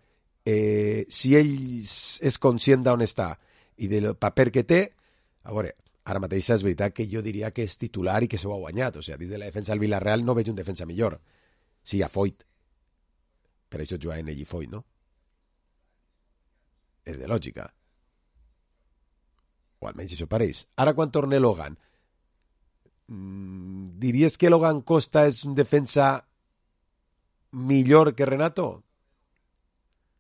Si ell és conscient d'on està i del paper que té, a veure, ara mateix és veritat que jo diria que és titular i que s'ho ha guanyat. O sigui, dins de la defensa del Villarreal no veig un defensa millor. Sí, a Foyt. Per això juguen ell i Foyt, no? És de lògica. O almenys això pareix. Ara quan torna Logan, diries que Logan Costa és un defensa millor que Renato?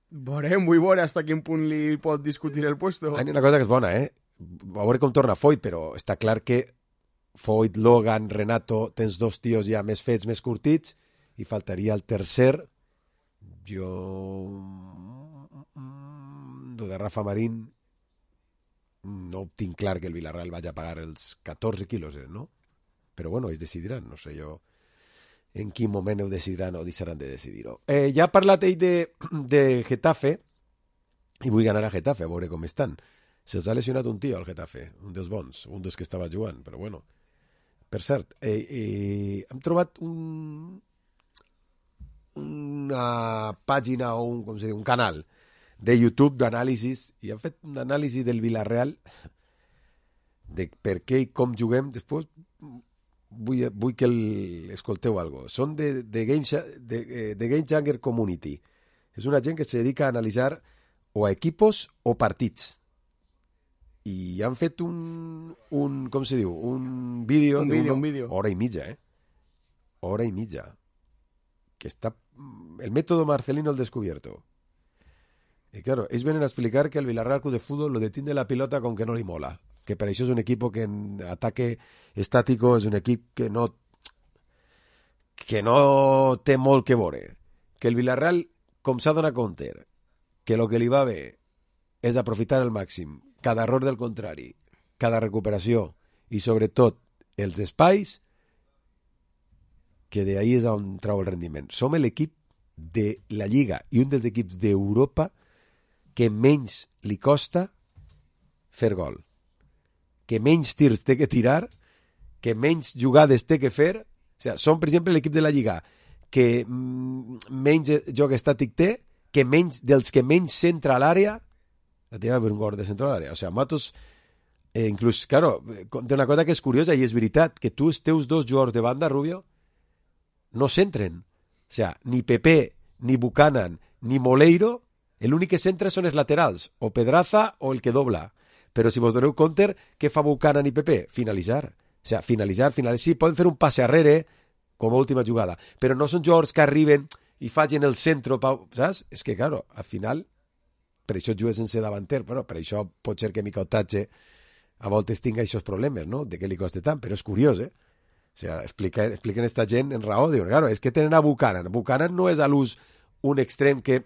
Veurem, vull veure fins a quin punt li pot discutir el puesto. Hi ha una cosa que és bona, a veure com torna Foyt, però està clar que Foyt, Logan, Renato, tens dos tios ja més fets, més curtits, i faltaria el tercer. Jo... de Rafa Marín no tinc clar que el Villarreal vagi a pagar els 14 quilos, no? Però bueno, ells decidiran, no sé jo en quin moment ho decidiran o deixaran de decidir-ho. Ja ha parlat ell de Getafe i vull anar a Getafe a veure com estan. Se'ls ha lesionat un tio al Getafe, un dels bons, un dels que estava jugant, però bueno. Per cert, hem trobat una pàgina o un canal de YouTube d'anàlisis i han fet un anàlisi del Villarreal de per què i com juguem. Després vull que escolteu algo. Són de Game Changer Community. És una gent que se dedica a analitzar o a equipos o partits. I han fet un com se diu? Un vídeo. Un vídeo. Hora i mitja, Hora i mitja. Que està... El método Marcelino al descubierto. Y claro, ells venen a explicar que el Villarreal Club de Fútbol lo detiene la pilota con que no li mola. Que per això és un equip que en ataque estático és un equip que no té molt que veure. Que el Villarreal, com s'ha donat compte, que el que li va bé és aprofitar al màxim cada error del contrari, cada recuperació i sobretot els espais, que d'ahí és on trau el rendiment. Som l'equip de la Lliga i un dels equips d'Europa que menys li costa fer gol, que menys tirs té que tirar, que menys jugades té que fer. O sigui, som, per exemple, l'equip de la Lliga que menys joc estàtic té, que menys dels que menys centra a l'àrea, la teva per un gol de centre a l'àrea. O sigui, Matos, inclús, claro, té una cosa que és curiosa i és veritat, que tu, els teus dos jugadors de banda, Rubio, no centren. O sigui, ni Pepe, ni Buchanan, ni Moleiro, l'únic que centra són els laterals, o Pedraza o el que dobla. Però si vos doneu compte, què fa Buchanan i Pepe? Finalitzar. O sigui, finalitzar. Sí, poden fer un passe arrere com a última jugada, però no són jugadors que arriben i facin el centre, saps? És que, claro, al final, per això jugues sense davanter, però per això pot ser que Mica Otatge a voltes tinga aquests problemes, no?, de què li costa tant, però és curiós, O sigui, expliquen esta gent en raó, diuen, claro, és que tenen a Buchanan. Buchanan no és a l'ús un extrem que,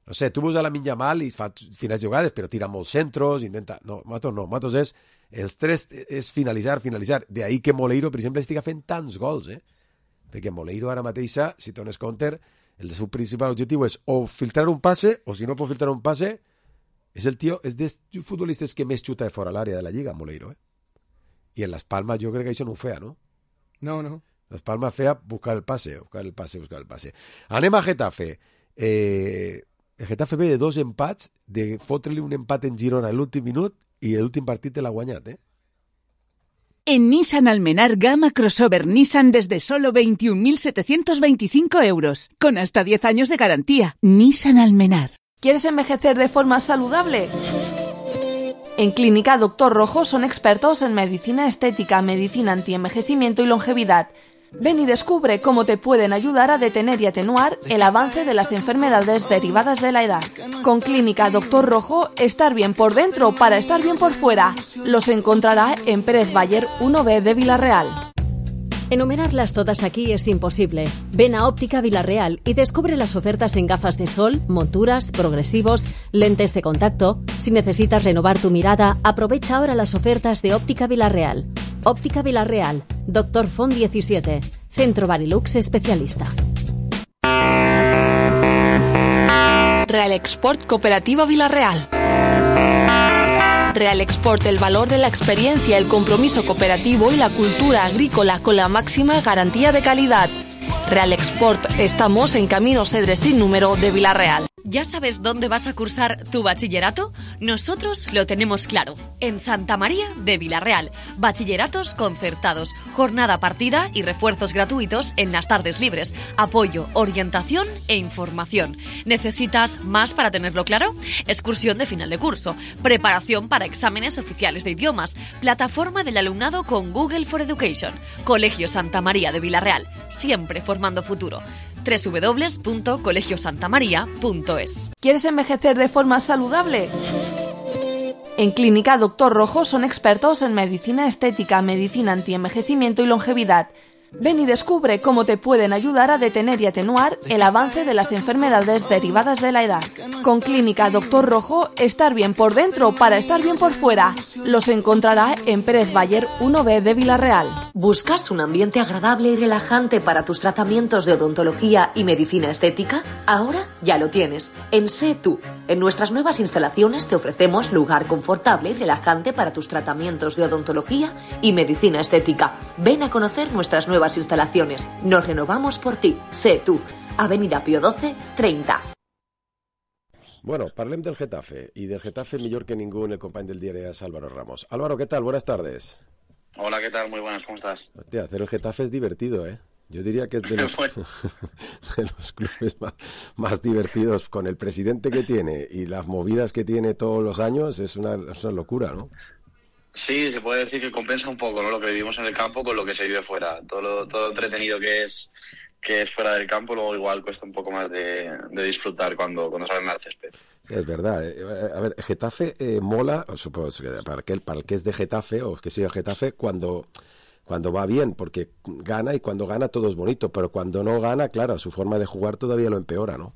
no sé, tu veus a la Minyamal i fa finals jugades, però tira molts centros, intenta... No, Matos no. Matos és... Els tres és finalitzar. De ahí que Moleiro, per exemple, estiga fent tants gols, Perquè Moleiro ara mateixa, si dones compte, el seu principal objectiu és o filtrar un passe, o si no pot filtrar un passe, és el tio, és dels futbolistes que més xuta de fora l'àrea de la Lliga, Moleiro, I en Las Palmas jo crec que això no ho feia, no? No. Las Palmas feia buscar el pase. Anem a Getafe. El Getafe ve de 2 empats, de fotre-li un empat en Girona a l'últim minut i l'últim partit te l'ha guanyat, En Nissan Almenar gama crossover Nissan desde solo 21.725 euros, con hasta 10 años de garantía. Nissan Almenar. ¿Quieres envejecer de forma saludable? En Clínica Doctor Rojo son expertos en medicina estética, medicina antienvejecimiento y longevidad. Ven y descubre cómo te pueden ayudar a detener y atenuar el avance de las enfermedades derivadas de la edad. Con Clínica Doctor Rojo, estar bien por dentro para estar bien por fuera. Los encontrará en Pérez Bayer 1B de Villarreal. Enumerarlas todas aquí es imposible. Ven a Óptica Villarreal y descubre las ofertas en gafas de sol, monturas, progresivos, lentes de contacto. Si necesitas renovar tu mirada, aprovecha ahora las ofertas de Óptica Villarreal. Óptica Villarreal, Dr. Font 17, Centro Barilux especialista. Real Export Cooperativa Villarreal. Real Export, el valor de la experiencia, el compromiso cooperativo y la cultura agrícola con la máxima garantía de calidad. Real Export, estamos en Camino Cedres sin número de Villarreal. ¿Ya sabes dónde vas a cursar tu bachillerato? Nosotros lo tenemos claro. En Santa María de Villarreal. Bachilleratos concertados, jornada partida y refuerzos gratuitos en las tardes libres. Apoyo, orientación e información. ¿Necesitas más para tenerlo claro? Excursión de final de curso. Preparación para exámenes oficiales de idiomas. Plataforma del alumnado con Google for Education. Colegio Santa María de Villarreal. Siempre formando futuro. www.colegiosantamaria.es. ¿Quieres envejecer de forma saludable? En Clínica Doctor Rojo son expertos en medicina estética, medicina antienvejecimiento y longevidad. Ven y descubre cómo te pueden ayudar a detener y atenuar el avance de las enfermedades derivadas de la edad. Con Clínica Doctor Rojo, estar bien por dentro para estar bien por fuera. Los encontrará en Pérez Bayer 1B de Villarreal. ¿Buscas un ambiente agradable y relajante para tus tratamientos de odontología y medicina estética? Ahora ya lo tienes. En Sé Tú. En nuestras nuevas instalaciones te ofrecemos lugar confortable y relajante para tus tratamientos de odontología y medicina estética. Ven a conocer nuestras nuevas instalaciones. Nos renovamos por ti. Sé Tú. Avenida Pío XII, 30. Bueno, parlem del Getafe, i del Getafe millor que ningú el company del diario es Álvaro Ramos. Álvaro, ¿qué tal? Buenas tardes. Hola, ¿qué tal? Muy buenas, ¿cómo estás? Hostia, hacer el Getafe es divertido, ¿eh? Yo diría que es de los, de los clubes más divertidos, con el presidente que tiene y las movidas que tiene todos los años, es una locura, ¿no? Sí, se puede decir que compensa un poco, ¿no? Lo que vivimos en el campo con lo que se vive fuera. Todo lo entretenido que es fuera del campo, luego igual cuesta un poco más de disfrutar cuando salen al césped. Es verdad. A ver, Getafe mola, supongo que para el que es de Getafe o que siga Getafe, cuando va bien, porque gana, y cuando gana todo es bonito, pero cuando no gana, claro, su forma de jugar todavía lo empeora, ¿no?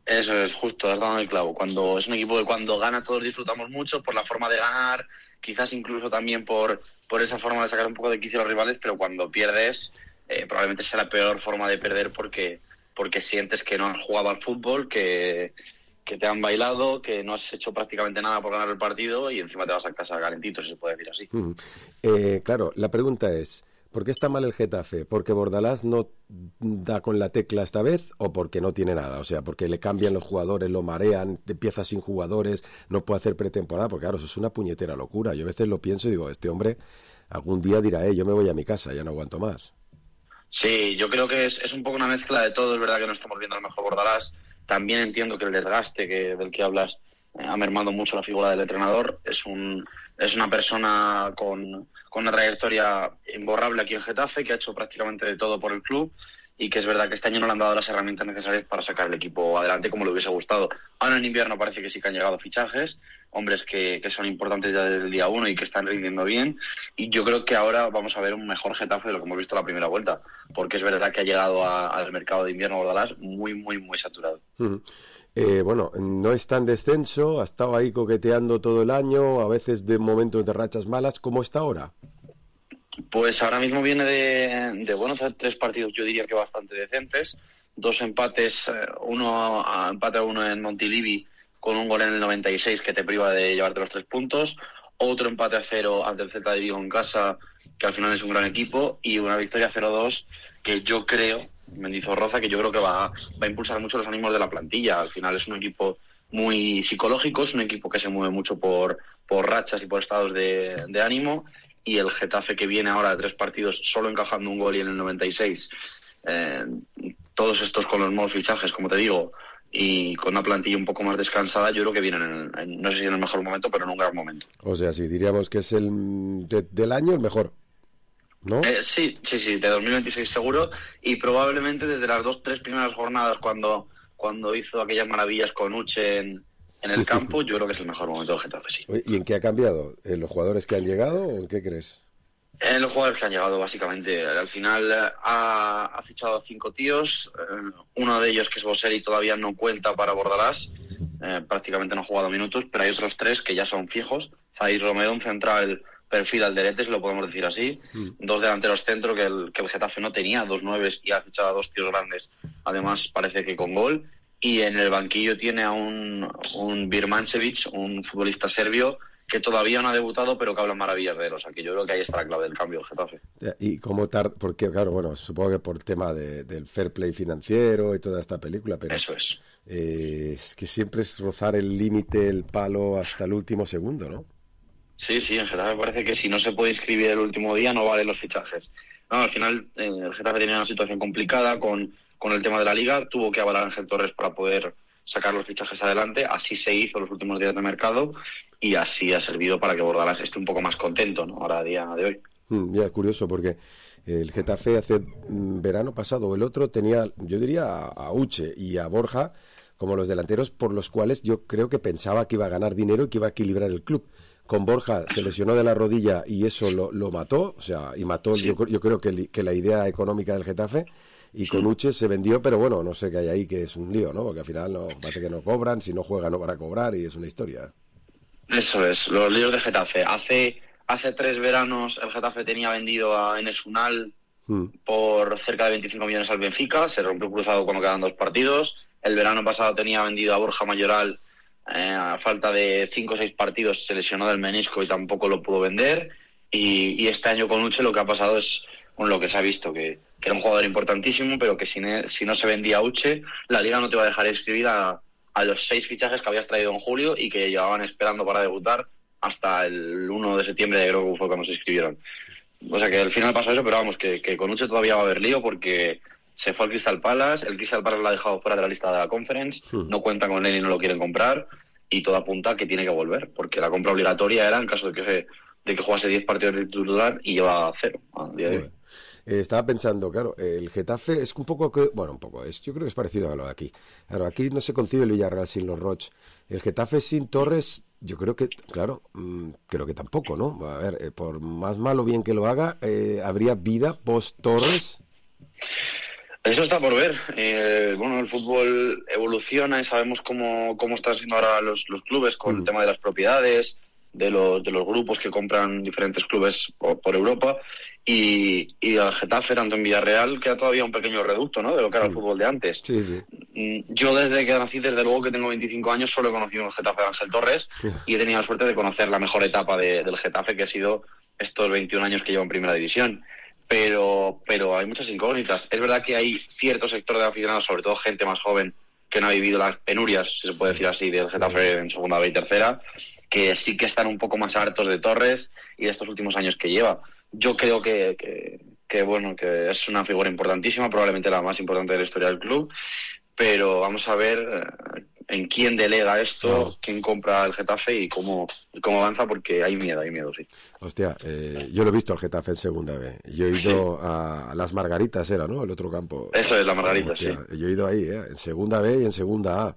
Eso es, justo, has dado el clavo. Cuando es un equipo que cuando gana todos disfrutamos mucho por la forma de ganar, quizás incluso también por esa forma de sacar un poco de quicio a los rivales, pero cuando pierdes, probablemente sea la peor forma de perder porque sientes que no has jugado al fútbol, que te han bailado, que no has hecho prácticamente nada por ganar el partido y encima te vas a casa calentito, si se puede decir así. Claro, la pregunta es, ¿por qué está mal el Getafe? ¿Porque Bordalás no da con la tecla esta vez o porque no tiene nada? O sea, porque le cambian los jugadores, lo marean, empieza sin jugadores, no puede hacer pretemporada, porque claro, eso es una puñetera locura. Yo a veces lo pienso y digo, este hombre algún día dirá, yo me voy a mi casa, ya no aguanto más. Sí, yo creo que es un poco una mezcla de todo. Es verdad que no estamos viendo al mejor Bordalás. También entiendo que el desgaste del que hablas ha mermado mucho la figura del entrenador. Es una persona con una trayectoria imborrable aquí en Getafe, que ha hecho prácticamente de todo por el club y que es verdad que este año no le han dado las herramientas necesarias para sacar el equipo adelante como le hubiese gustado. Ahora en invierno parece que sí que han llegado fichajes, hombres que son importantes ya desde el día 1 y que están rindiendo bien, y yo creo que ahora vamos a ver un mejor Getafe de lo que hemos visto la primera vuelta, porque es verdad que ha llegado al mercado de invierno Bordalás muy, muy, muy saturado. Bueno, no está en descenso, ha estado ahí coqueteando todo el año, a veces de momentos de rachas malas. ¿Cómo está ahora? Pues ahora mismo viene de hacer 3 partidos, yo diría que bastante decentes, 2 empates, empate a 1 en Montilivi con un gol en el 96 que te priva de llevarte los 3 puntos, otro empate a 0 ante el Celta de Vigo en casa, que al final es un gran equipo, y una victoria 0-2 que yo creo, Mendizorroza, que yo creo que va a impulsar mucho los ánimos de la plantilla. Al final es un equipo muy psicológico, es un equipo que se mueve mucho por rachas y por estados de ánimo, y el Getafe que viene ahora de 3 partidos solo encajando un gol y en el 96, todos estos con los nuevos fichajes, como te digo, y con una plantilla un poco más descansada, yo creo que vienen, no sé si en el mejor momento, pero en un gran momento. O sea, sí, diríamos que es del año el mejor, ¿no? Sí, de 2026 seguro, y probablemente desde las 2-3 primeras jornadas, cuando hizo aquellas maravillas con Uche en el campo, yo creo que es el mejor momento del Getafe, sí. ¿Y en qué ha cambiado? ¿En los jugadores que han llegado o en qué crees? En los jugadores que han llegado, básicamente. Al final ha fichado a 5 tíos. Uno de ellos, que es Boselli, todavía no cuenta para Bordalás. Prácticamente no ha jugado minutos, pero hay otros 3 que ya son fijos. Zaid Romero, un central perfil Alderete, si lo podemos decir así. 2 delanteros centro que el Getafe no tenía, 2 9 y ha fichado a 2 tíos grandes. Además, parece que con gol. Y en el banquillo tiene a un Birmancevic, un futbolista serbio, que todavía no ha debutado, pero que habla maravillas de él. O sea, que yo creo que ahí está la clave del cambio del Getafe. ¿Y cómo porque claro, bueno, supongo que por tema del fair play financiero y toda esta película, pero... Eso es. Es que siempre es rozar el límite, el palo, hasta el último segundo, ¿no? Sí, en Getafe parece que si no se puede inscribir el último día no valen los fichajes. No, al final el Getafe tenía una situación complicada con el tema de la Liga, tuvo que avalar a Ángel Torres para poder sacar los fichajes adelante, así se hizo los últimos días de mercado y así ha servido para que Bordalás esté un poco más contento, ¿no? Ahora a día de hoy. Ya, curioso, porque el Getafe hace verano pasado o el otro tenía, yo diría, a Uche y a Borja como los delanteros por los cuales yo creo que pensaba que iba a ganar dinero y que iba a equilibrar el club. Con Borja se lesionó de la rodilla y eso lo mató, o sea, y mató sí. yo creo que la idea económica del Getafe. Y con Uche se vendió, pero bueno, no sé qué hay ahí, que es un lío, ¿no? Porque al final parece que no cobran, si no juegan no van a cobrar y es una historia. Eso es, los líos de Getafe. Hace 3 veranos el Getafe tenía vendido a Enes Unal por cerca de 25 millones al Benfica, se rompió cruzado cuando quedan 2 partidos. El verano pasado tenía vendido a Borja Mayoral a falta de 5 o 6 partidos, se lesionó del menisco y tampoco lo pudo vender. Y este año con Uche lo que ha pasado es con lo que se ha visto, que era un jugador importantísimo, pero que si no se vendía a Uche, la Liga no te va a dejar inscribir a los 6 fichajes que habías traído en julio y que llevaban esperando para debutar hasta el 1 de septiembre, creo que fue cuando se inscribieron. O sea que al final pasó eso, pero vamos, que con Uche todavía va a haber lío porque se fue al Crystal Palace, el Crystal Palace lo ha dejado fuera de la lista de la Conference, no cuentan con él y no lo quieren comprar, y todo apunta a que tiene que volver, porque la compra obligatoria era en caso de que jugase 10 partidos de titular y lleva 0 a día de hoy. Estaba pensando, claro, el Getafe es un poco, yo creo que es parecido a lo de aquí. Claro, aquí no se concibe el Villarreal sin los Roig. El Getafe sin Torres, yo creo que, claro, creo que tampoco, ¿no? A ver, por más mal o bien que lo haga, ¿habría vida post-Torres? Eso está por ver. Bueno, el fútbol evoluciona y sabemos cómo están siendo ahora los clubes con el tema de las propiedades, de los grupos que compran diferentes clubes por Europa, y el Getafe, tanto en Villarreal, queda todavía un pequeño reducto, ¿no?, de lo que era el fútbol de antes. Sí. Yo desde que nací, desde luego que tengo 25 años, solo he conocido el Getafe de Ángel Torres y he tenido la suerte de conocer la mejor etapa del Getafe, que ha sido estos 21 años que llevo en Primera División. Pero hay muchas incógnitas. Es verdad que hay cierto sector de aficionados, sobre todo gente más joven, que no ha vivido las penurias, si se puede decir así, del Getafe en Segunda B y Tercera, que sí que están un poco más hartos de Torres y de estos últimos años que lleva. Yo creo que es una figura importantísima, probablemente la más importante de la historia del club, pero vamos a ver en quién delega esto, quién compra el Getafe y cómo avanza, porque hay miedo, sí. Hostia, yo lo he visto al Getafe en Segunda B. Yo he ido a Las Margaritas, era, ¿no?, el otro campo. Eso es, Las Margaritas, sí. Yo he ido ahí, en Segunda B y en Segunda A.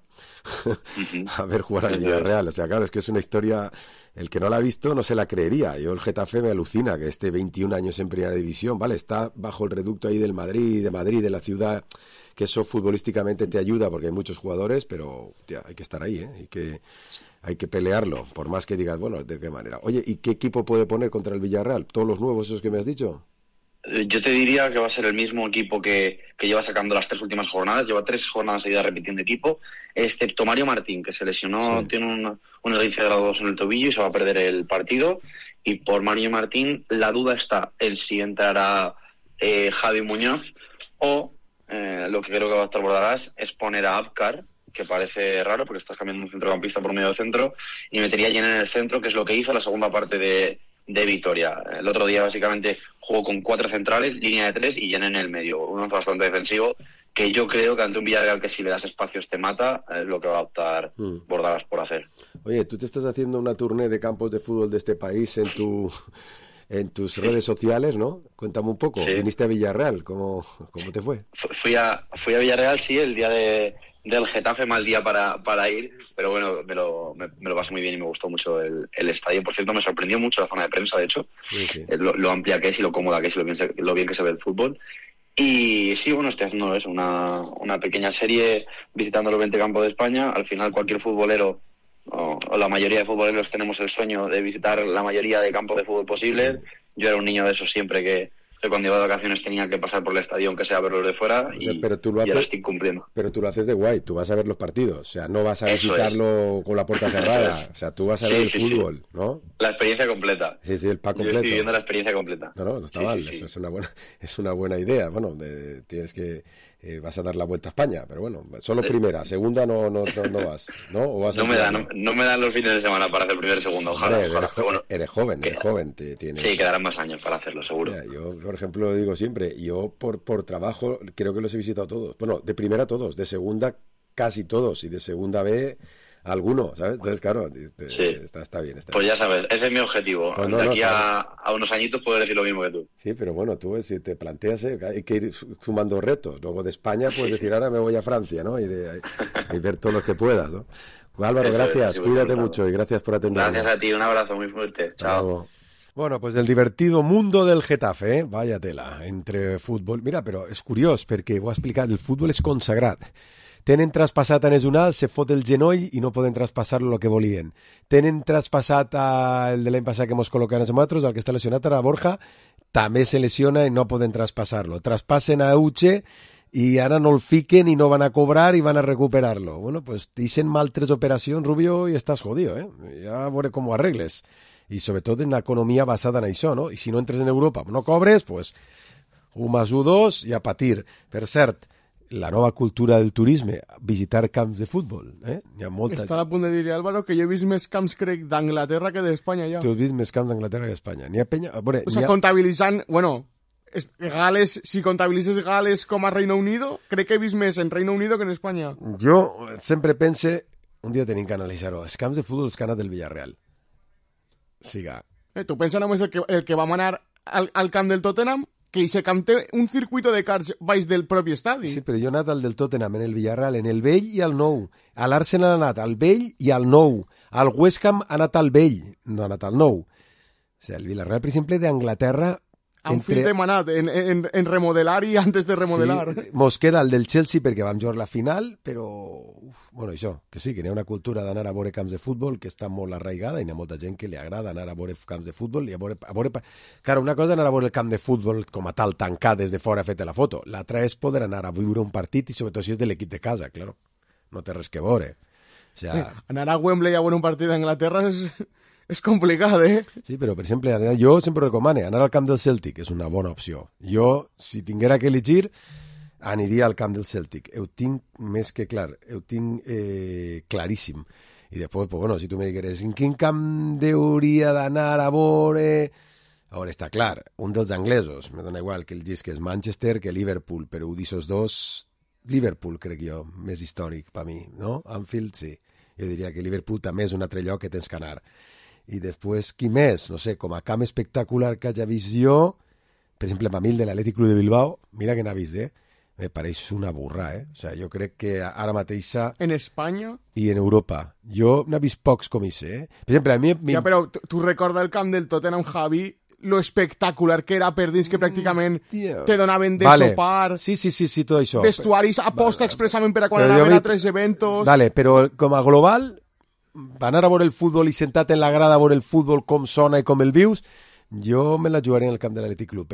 A ver jugar al Villarreal. O sea, claro, es que es una historia... El que no la ha visto no se la creería. Yo el Getafe me alucina que esté 21 años en Primera División, ¿vale? Está bajo el reducto ahí del Madrid, de la ciudad, que eso futbolísticamente te ayuda porque hay muchos jugadores, pero tía, hay que estar ahí, ¿eh? Hay que pelearlo, por más que digas, bueno, ¿de qué manera? Oye, ¿y qué equipo puede poner contra el Villarreal? ¿Todos los nuevos esos que me has dicho? Yo te diría que va a ser el mismo equipo que lleva sacando las 3 últimas jornadas. Lleva 3 jornadas seguidas repitiendo equipo, excepto Mario Martín, que se lesionó, sí. Tiene un esguince de grado 2 en el tobillo y se va a perder el partido. Y por Mario Martín la duda está en si entrará Javi Muñoz o lo que creo que va a estar Bordalás es poner a Abkar, que parece raro porque estás cambiando un centrocampista por medio centro, y metería a Yen en el centro, que es lo que hizo la segunda parte de Vitoria. El otro día básicamente jugó con 4 centrales, línea de 3 y Yen en el medio. Un once bastante defensivo que yo creo que ante un Villarreal que si le das espacios te mata, es lo que va a optar Bordalás por hacer. Oye, tú te estás haciendo una tournée de campos de fútbol de este país en tus redes sociales, ¿no? Cuéntame un poco. Sí. Viniste a Villarreal, ¿cómo te fue? Fui a Villarreal, sí, el día del Getafe, mal día para ir, pero bueno, me lo pasé muy bien y me gustó mucho el estadio. Por cierto, me sorprendió mucho la zona de prensa, de hecho, sí. Lo amplia que es y lo cómoda que es y lo bien que se ve el fútbol. Y sí, bueno, estoy haciendo eso, una pequeña serie visitando los 20 campos de España. Al final cualquier futbolero, o la mayoría de futboleros, tenemos el sueño de visitar la mayoría de campos de fútbol posibles. Yo era un niño de esos siempre que cuando iba de vacaciones tenía que pasar por el estadio, aunque sea verlos de fuera, y ahora estoy cumpliendo. Pero tú lo haces de guay, tú vas a ver los partidos, o sea, no vas a visitarlo con la puerta cerrada, o sea, tú vas a ver el fútbol, ¿no? La experiencia completa. Sí, el pack completo. Yo estoy viviendo la experiencia completa. No está mal, eso es una buena idea. Bueno, tienes que... vas a dar la vuelta a España, pero bueno, solo primera, segunda no vas, ¿no? ¿O vas no me dan los fines de semana para hacer primera y segunda, ojalá. Eres joven, tienes... Sí, quedarán más años para hacerlo, seguro. Mira, yo, por ejemplo, lo digo siempre, yo por trabajo creo que los he visitado todos. Bueno, de primera todos, de segunda casi todos, y de segunda B alguno, ¿sabes? Entonces, claro, está bien. Pues ya sabes, ese es mi objetivo. Pues de aquí a unos añitos puedo decir lo mismo que tú. Sí, pero bueno, tú si te planteas, hay que ir sumando retos. Luego de España puedes decir, ahora me voy a Francia, ¿no? Y ver todo lo que puedas, ¿no? Pues, Álvaro, gracias, cuídate mucho y gracias por atenderme. Gracias a ti, un abrazo muy fuerte. Chao. Bueno, pues el divertido mundo del Getafe, vaya tela, entre fútbol. Mira, però és curiós, perquè ho ha explicat, el futbol és consagrat. Tenen traspassat a Nesunal, se fot el genoll i no poden traspassar-lo el que volien. Tenen traspassat el de l'any passat que mos col·loquen a nosaltres, el que està lesionat ara, Borja, també se lesiona i no poden traspassar-lo. Traspassen a Uche i ara no el fiquen i no van a cobrar i van a recuperar-lo. Bueno, pues dicen mal 3 operacions, Rubio, i estàs jodido, Ja a veure com ho arregles. I sobretot en l'economia basada en això, no? I si no entres en Europa, no cobres, pues 1 + 1 2 i a patir. Per cert, la nova cultura del turisme, visitar camps de futbol. Hi ha molta... Està a punt de dir, Álvaro, que jo he vist més camps, crec, d'Anglaterra que d'Espanya, ja. Tu has vist més camps d'Anglaterra que d'Espanya. N'hi ha penya... Veure, o sea, comptabilitzant... Bueno, Gales, si comptabilitzes Gales com a Reino Unido, crec que he vist més en Reino Unido que en Espanya. Jo sempre pense... Un dia tenim que analitzar-ho. Els camps de futbol que han anat del Villarreal. Siga. Tu pensa només el que vam anar al camp del Tottenham, que ese camp té un circuito de cars baix del propi estadi. Sí, però jo he anat al del Tottenham, en el Villarreal, en el vell i al nou. A l'Arsenal ha anat al vell i al nou. Al West Ham ha anat al vell, no ha anat al nou. O sigui, el Villarreal, per exemple, d'Anglaterra... Fill de manat, en remodelar i antes de remodelar. Sí, mos queda el del Chelsea perquè vam jugar la final, però... bueno, això, que sí, que hi ha una cultura d'anar a veure camps de futbol que està molt arraigada i hi ha molta gent que li agrada anar a veure camps de futbol i a veure... Claro, una cosa és anar a veure el camp de futbol com a tal, tancat des de fora, feta la foto. L'altra és poder anar a viure un partit i sobretot si és de l'equip de casa, claro. No té res que veure. O sea... Anar a Wembley a veure un partit d'Anglaterra és complicat, Sí, però, per exemple, jo sempre recomano anar al camp del Celtic, és una bona opció. Jo, si tinguera que elegir, aniria al camp del Celtic. Ho tinc més que clar, ho tinc claríssim. I després, pues, bueno, si tu me digueres, en quin camp hauria d'anar a veure... A veure, està clar, un dels anglesos, me dona igual que el gis que és Manchester que Liverpool, però ho d'ixos dos, Liverpool, crec jo, més històric per mi, no? Anfield, sí. Jo diria que Liverpool també és un altre lloc que tens que anar. I després, qui més? No sé, com a camp espectacular que hagi vist jo, per exemple, a mi el de l'Atlètic Club de Bilbao, mira que n'ha vist, me pareix una burra, O sea, jo crec que ara mateixa... En Espanya? I en Europa. Jo n'he vist pocs com ese, Per exemple, a mi... Ja, però tu recorda el camp del Tottenham, Javi, lo espectacular que era per dins que pràcticament te donaven de sopar. Sí, tot això. Vestuaris aposta expressament per a quan anaven a 3 eventos. Vale, però com a global... anar a veure el futbol i sentat en la grada a veure el futbol com sona i com el vius, jo me la jugaré en el camp de l'Atlètic Club,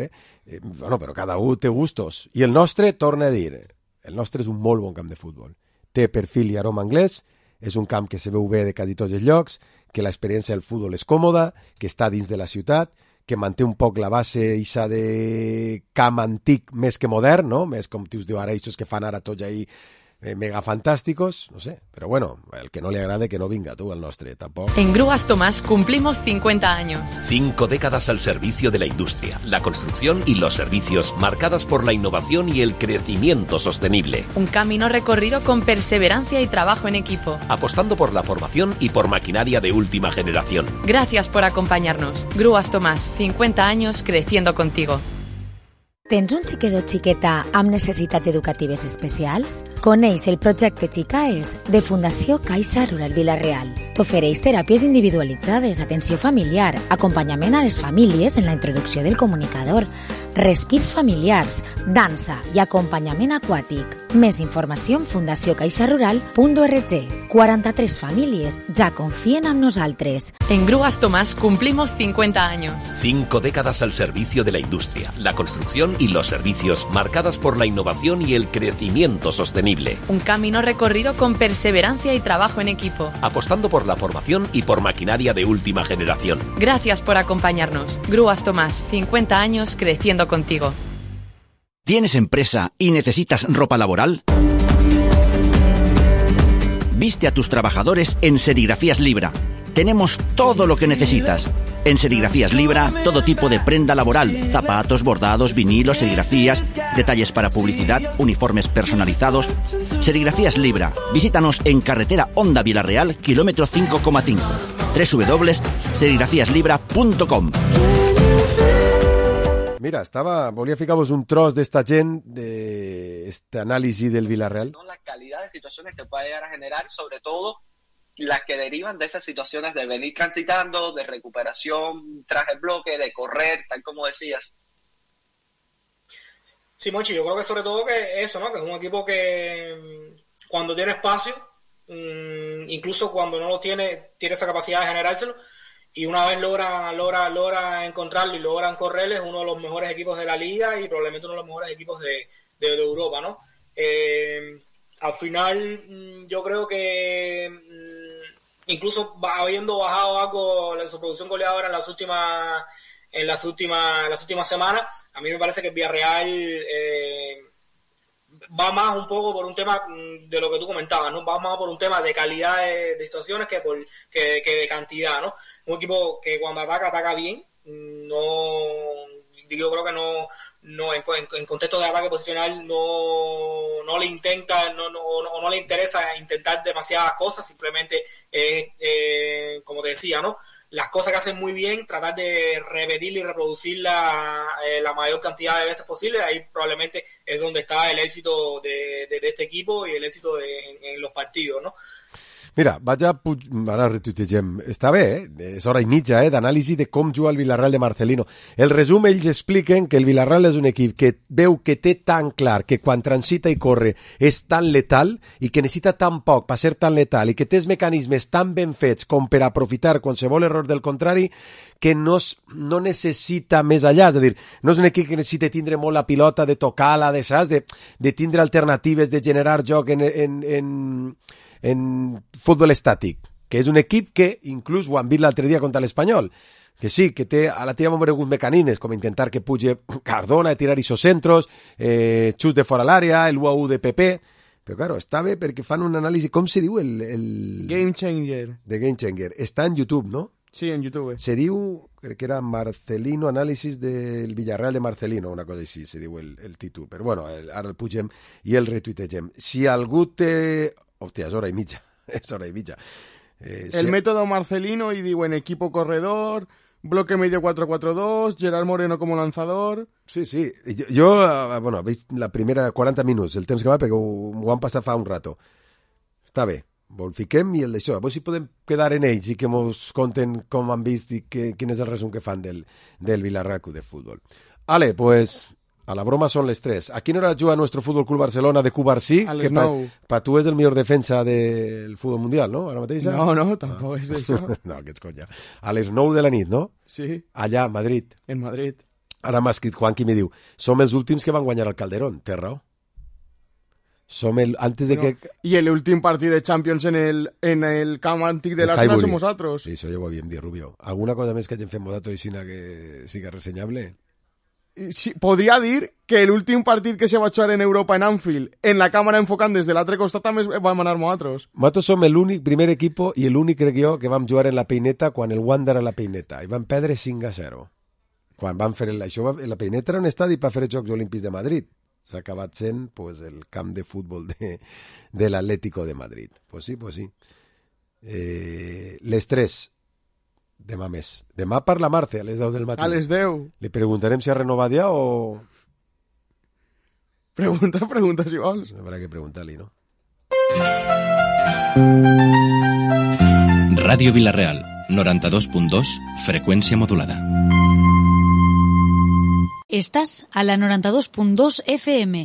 Bueno, però cada un té gustos. I el nostre, torna a dir, el nostre és un molt bon camp de futbol. Té perfil i aroma anglès, és un camp que se veu bé de quasi tots els llocs, que l'experiència del futbol és còmoda, que està dins de la ciutat, que manté un poc la base ixa de camp antic més que modern, no? Més com us diu ara, aquests que fan ara tots ahí mega fantásticos, no sé, pero bueno, el que no le agrade que no venga tú al nostre, tampoco. En Grúas Tomás cumplimos 50 años. 5 décadas al servicio de la industria, la construcción y los servicios, marcadas por la innovación y el crecimiento sostenible. Un camino recorrido con perseverancia y trabajo en equipo. Apostando por la formación y por maquinaria de última generación. Gracias por acompañarnos. Grúas Tomás, 50 años creciendo contigo. Tens un xiquet o xiqueta amb necessitats educatives especials? Coneix el projecte Xicaes de Fundació Caixa Rural Vila-real. T'ofereix teràpies individualitzades, atenció familiar, acompanyament a les famílies en la introducció del comunicador, respirs familiars, dansa i acompanyament aquàtic. Més informació en fundaciocaixarural.org. 43 famílies ja confien en nosaltres. En Grúas Tomás cumplimos 50 años. 5 décadas al servicio de la industria, la construcción y los servicios, marcadas por la innovación y el crecimiento sostenible. Un camino recorrido con perseverancia y trabajo en equipo. Apostando por la formación y por maquinaria de última generación. Gracias por acompañarnos. Grúas Tomás, 50 años creciendo contigo. ¿Tienes empresa y necesitas ropa laboral? Viste a tus trabajadores en Serigrafías Libra. Tenemos todo lo que necesitas. En Serigrafías Libra, todo tipo de prenda laboral, zapatos, bordados, vinilos, serigrafías, detalles para publicidad, uniformes personalizados. Serigrafías Libra. Visítanos en carretera Honda Vila-real, kilómetro 5,5. www.serigrafiaslibra.com. Mira, volia ficar-vos un tros d'esta gent, d'este anàlisi del Villarreal. La calidad de situaciones que puede llegar a generar, sobre todo las que derivan de esas situaciones de venir transitando, de recuperación tras el bloque, de correr, tal como decías. Sí, Monchi, yo creo que sobre todo que eso, ¿no? Que es un equipo que cuando tiene espacio, incluso cuando no lo tiene esa capacidad de generárselo, y una vez logra encontrarlo y logran correrle, es uno de los mejores equipos de la liga y probablemente uno de los mejores equipos de Europa, ¿no? Al final, yo creo que incluso habiendo bajado algo su producción goleadora en las últimas semanas, a mí me parece que el Villarreal va más un poco por un tema de lo que tú comentabas, ¿no? Va más por un tema de calidad de situaciones que de cantidad, ¿no? Un equipo que cuando ataca bien, yo creo que no en contexto de ataque posicional no le intenta, no le interesa intentar demasiadas cosas, simplemente como te decía, ¿no? Las cosas que hacen muy bien, tratar de repetirla y reproducirla la mayor cantidad de veces posible. Ahí probablemente es donde está el éxito de este equipo y el éxito en los partidos, ¿no? Mira, ara retuitegem. Està bé, és hora i mitja d'anàlisi de com juga el Villarreal de Marcelino. El resum, ells expliquen que el Villarreal és un equip que veu que té tan clar que quan transita i corre és tan letal i que necessita tan poc per ser tan letal i que té els mecanismes tan ben fets com per aprofitar qualsevol error del contrari que no necessita més allà. És a dir, no és un equip que necessita tindre molt la pilota, de tocar-la, de tindre alternatives, de generar joc en futbol estàtic, que és un equip que inclús ho han vist l'altre dia contra l'Espanyol, que sí, que té a la teva alguns mecanismes, com intentar que pugi Cardona, tirar isocentros, xut de fora l'àrea, el 1-1 de PP, però claro, està bé perquè fan un anàlisi, com se diu el... Game Changer. De Game Changer. Està en YouTube, no? Sí, en YouTube. Se diu, crec que era Marcelino, anàlisis del Villarreal de Marcelino, una cosa així, se diu el títol. Però bueno, ara el pugem i el retuitegem. Si algú té... Hòstia, és hora i mitja. El método Marcelino y digo en equipo corredor, bloque medio 4-4-2, Gerard Moreno como lanzador. Sí. Jo veig la primera 40 minuts, el temps que va, perquè ho han passat fa un rato. Està bé, el fiquem i el d'això. Avui si podem quedar en ells i que ens conten com han vist i quin és el resum que fan del Villarreal Club de Futbol. Ale, pues... A la broma son les 3. ¿A quién hora juega nuestro Fútbol Club Barcelona de Cubarsí? Que para tú es el mejor defensa del fútbol mundial, ¿no? ¿Ahora mateix? No, tampoco es eso. No, que es coña. A les 9 de la nit, no? Sí. Allà, a Madrid. En Madrid. Ara m'ha escrit Juanqui i me diu, som els últims que van guanyar el Calderón. Té raó. Antes de que... Y el último partido de Champions en el camp antic de l'Arsenal som nosaltres. Sí, això ja ho havíem dit, Rubio. Alguna cosa més que hagin fet Modato i Sina que siga ressenyable? podria dir que l'últim partit que se va jugar en Europa en Anfield, en la càmera enfocant des de l'altre costat, també vam anar nosaltres. Nosaltres som l'únic primer equip i l'únic, crec jo, que vam jugar en la Peineta quan el Wander a la Peineta, i vam perdre 5-0. Quan van fer això, la Peineta era un estadi per fer els Jocs Olímpics de Madrid. S'ha acabat sent pues, el camp de futbol de l'Atlético de Madrid. Pues sí, pues sí. Les 3, demà més. Demà parla Marce a les 10 del matí. A les 10. Li preguntarem si ha renovat ja o... Pregunta si vols. Habrá que preguntar-li, no? Ràdio Vila-real, 92.2, freqüència modulada. Estás a la 92.2 FM.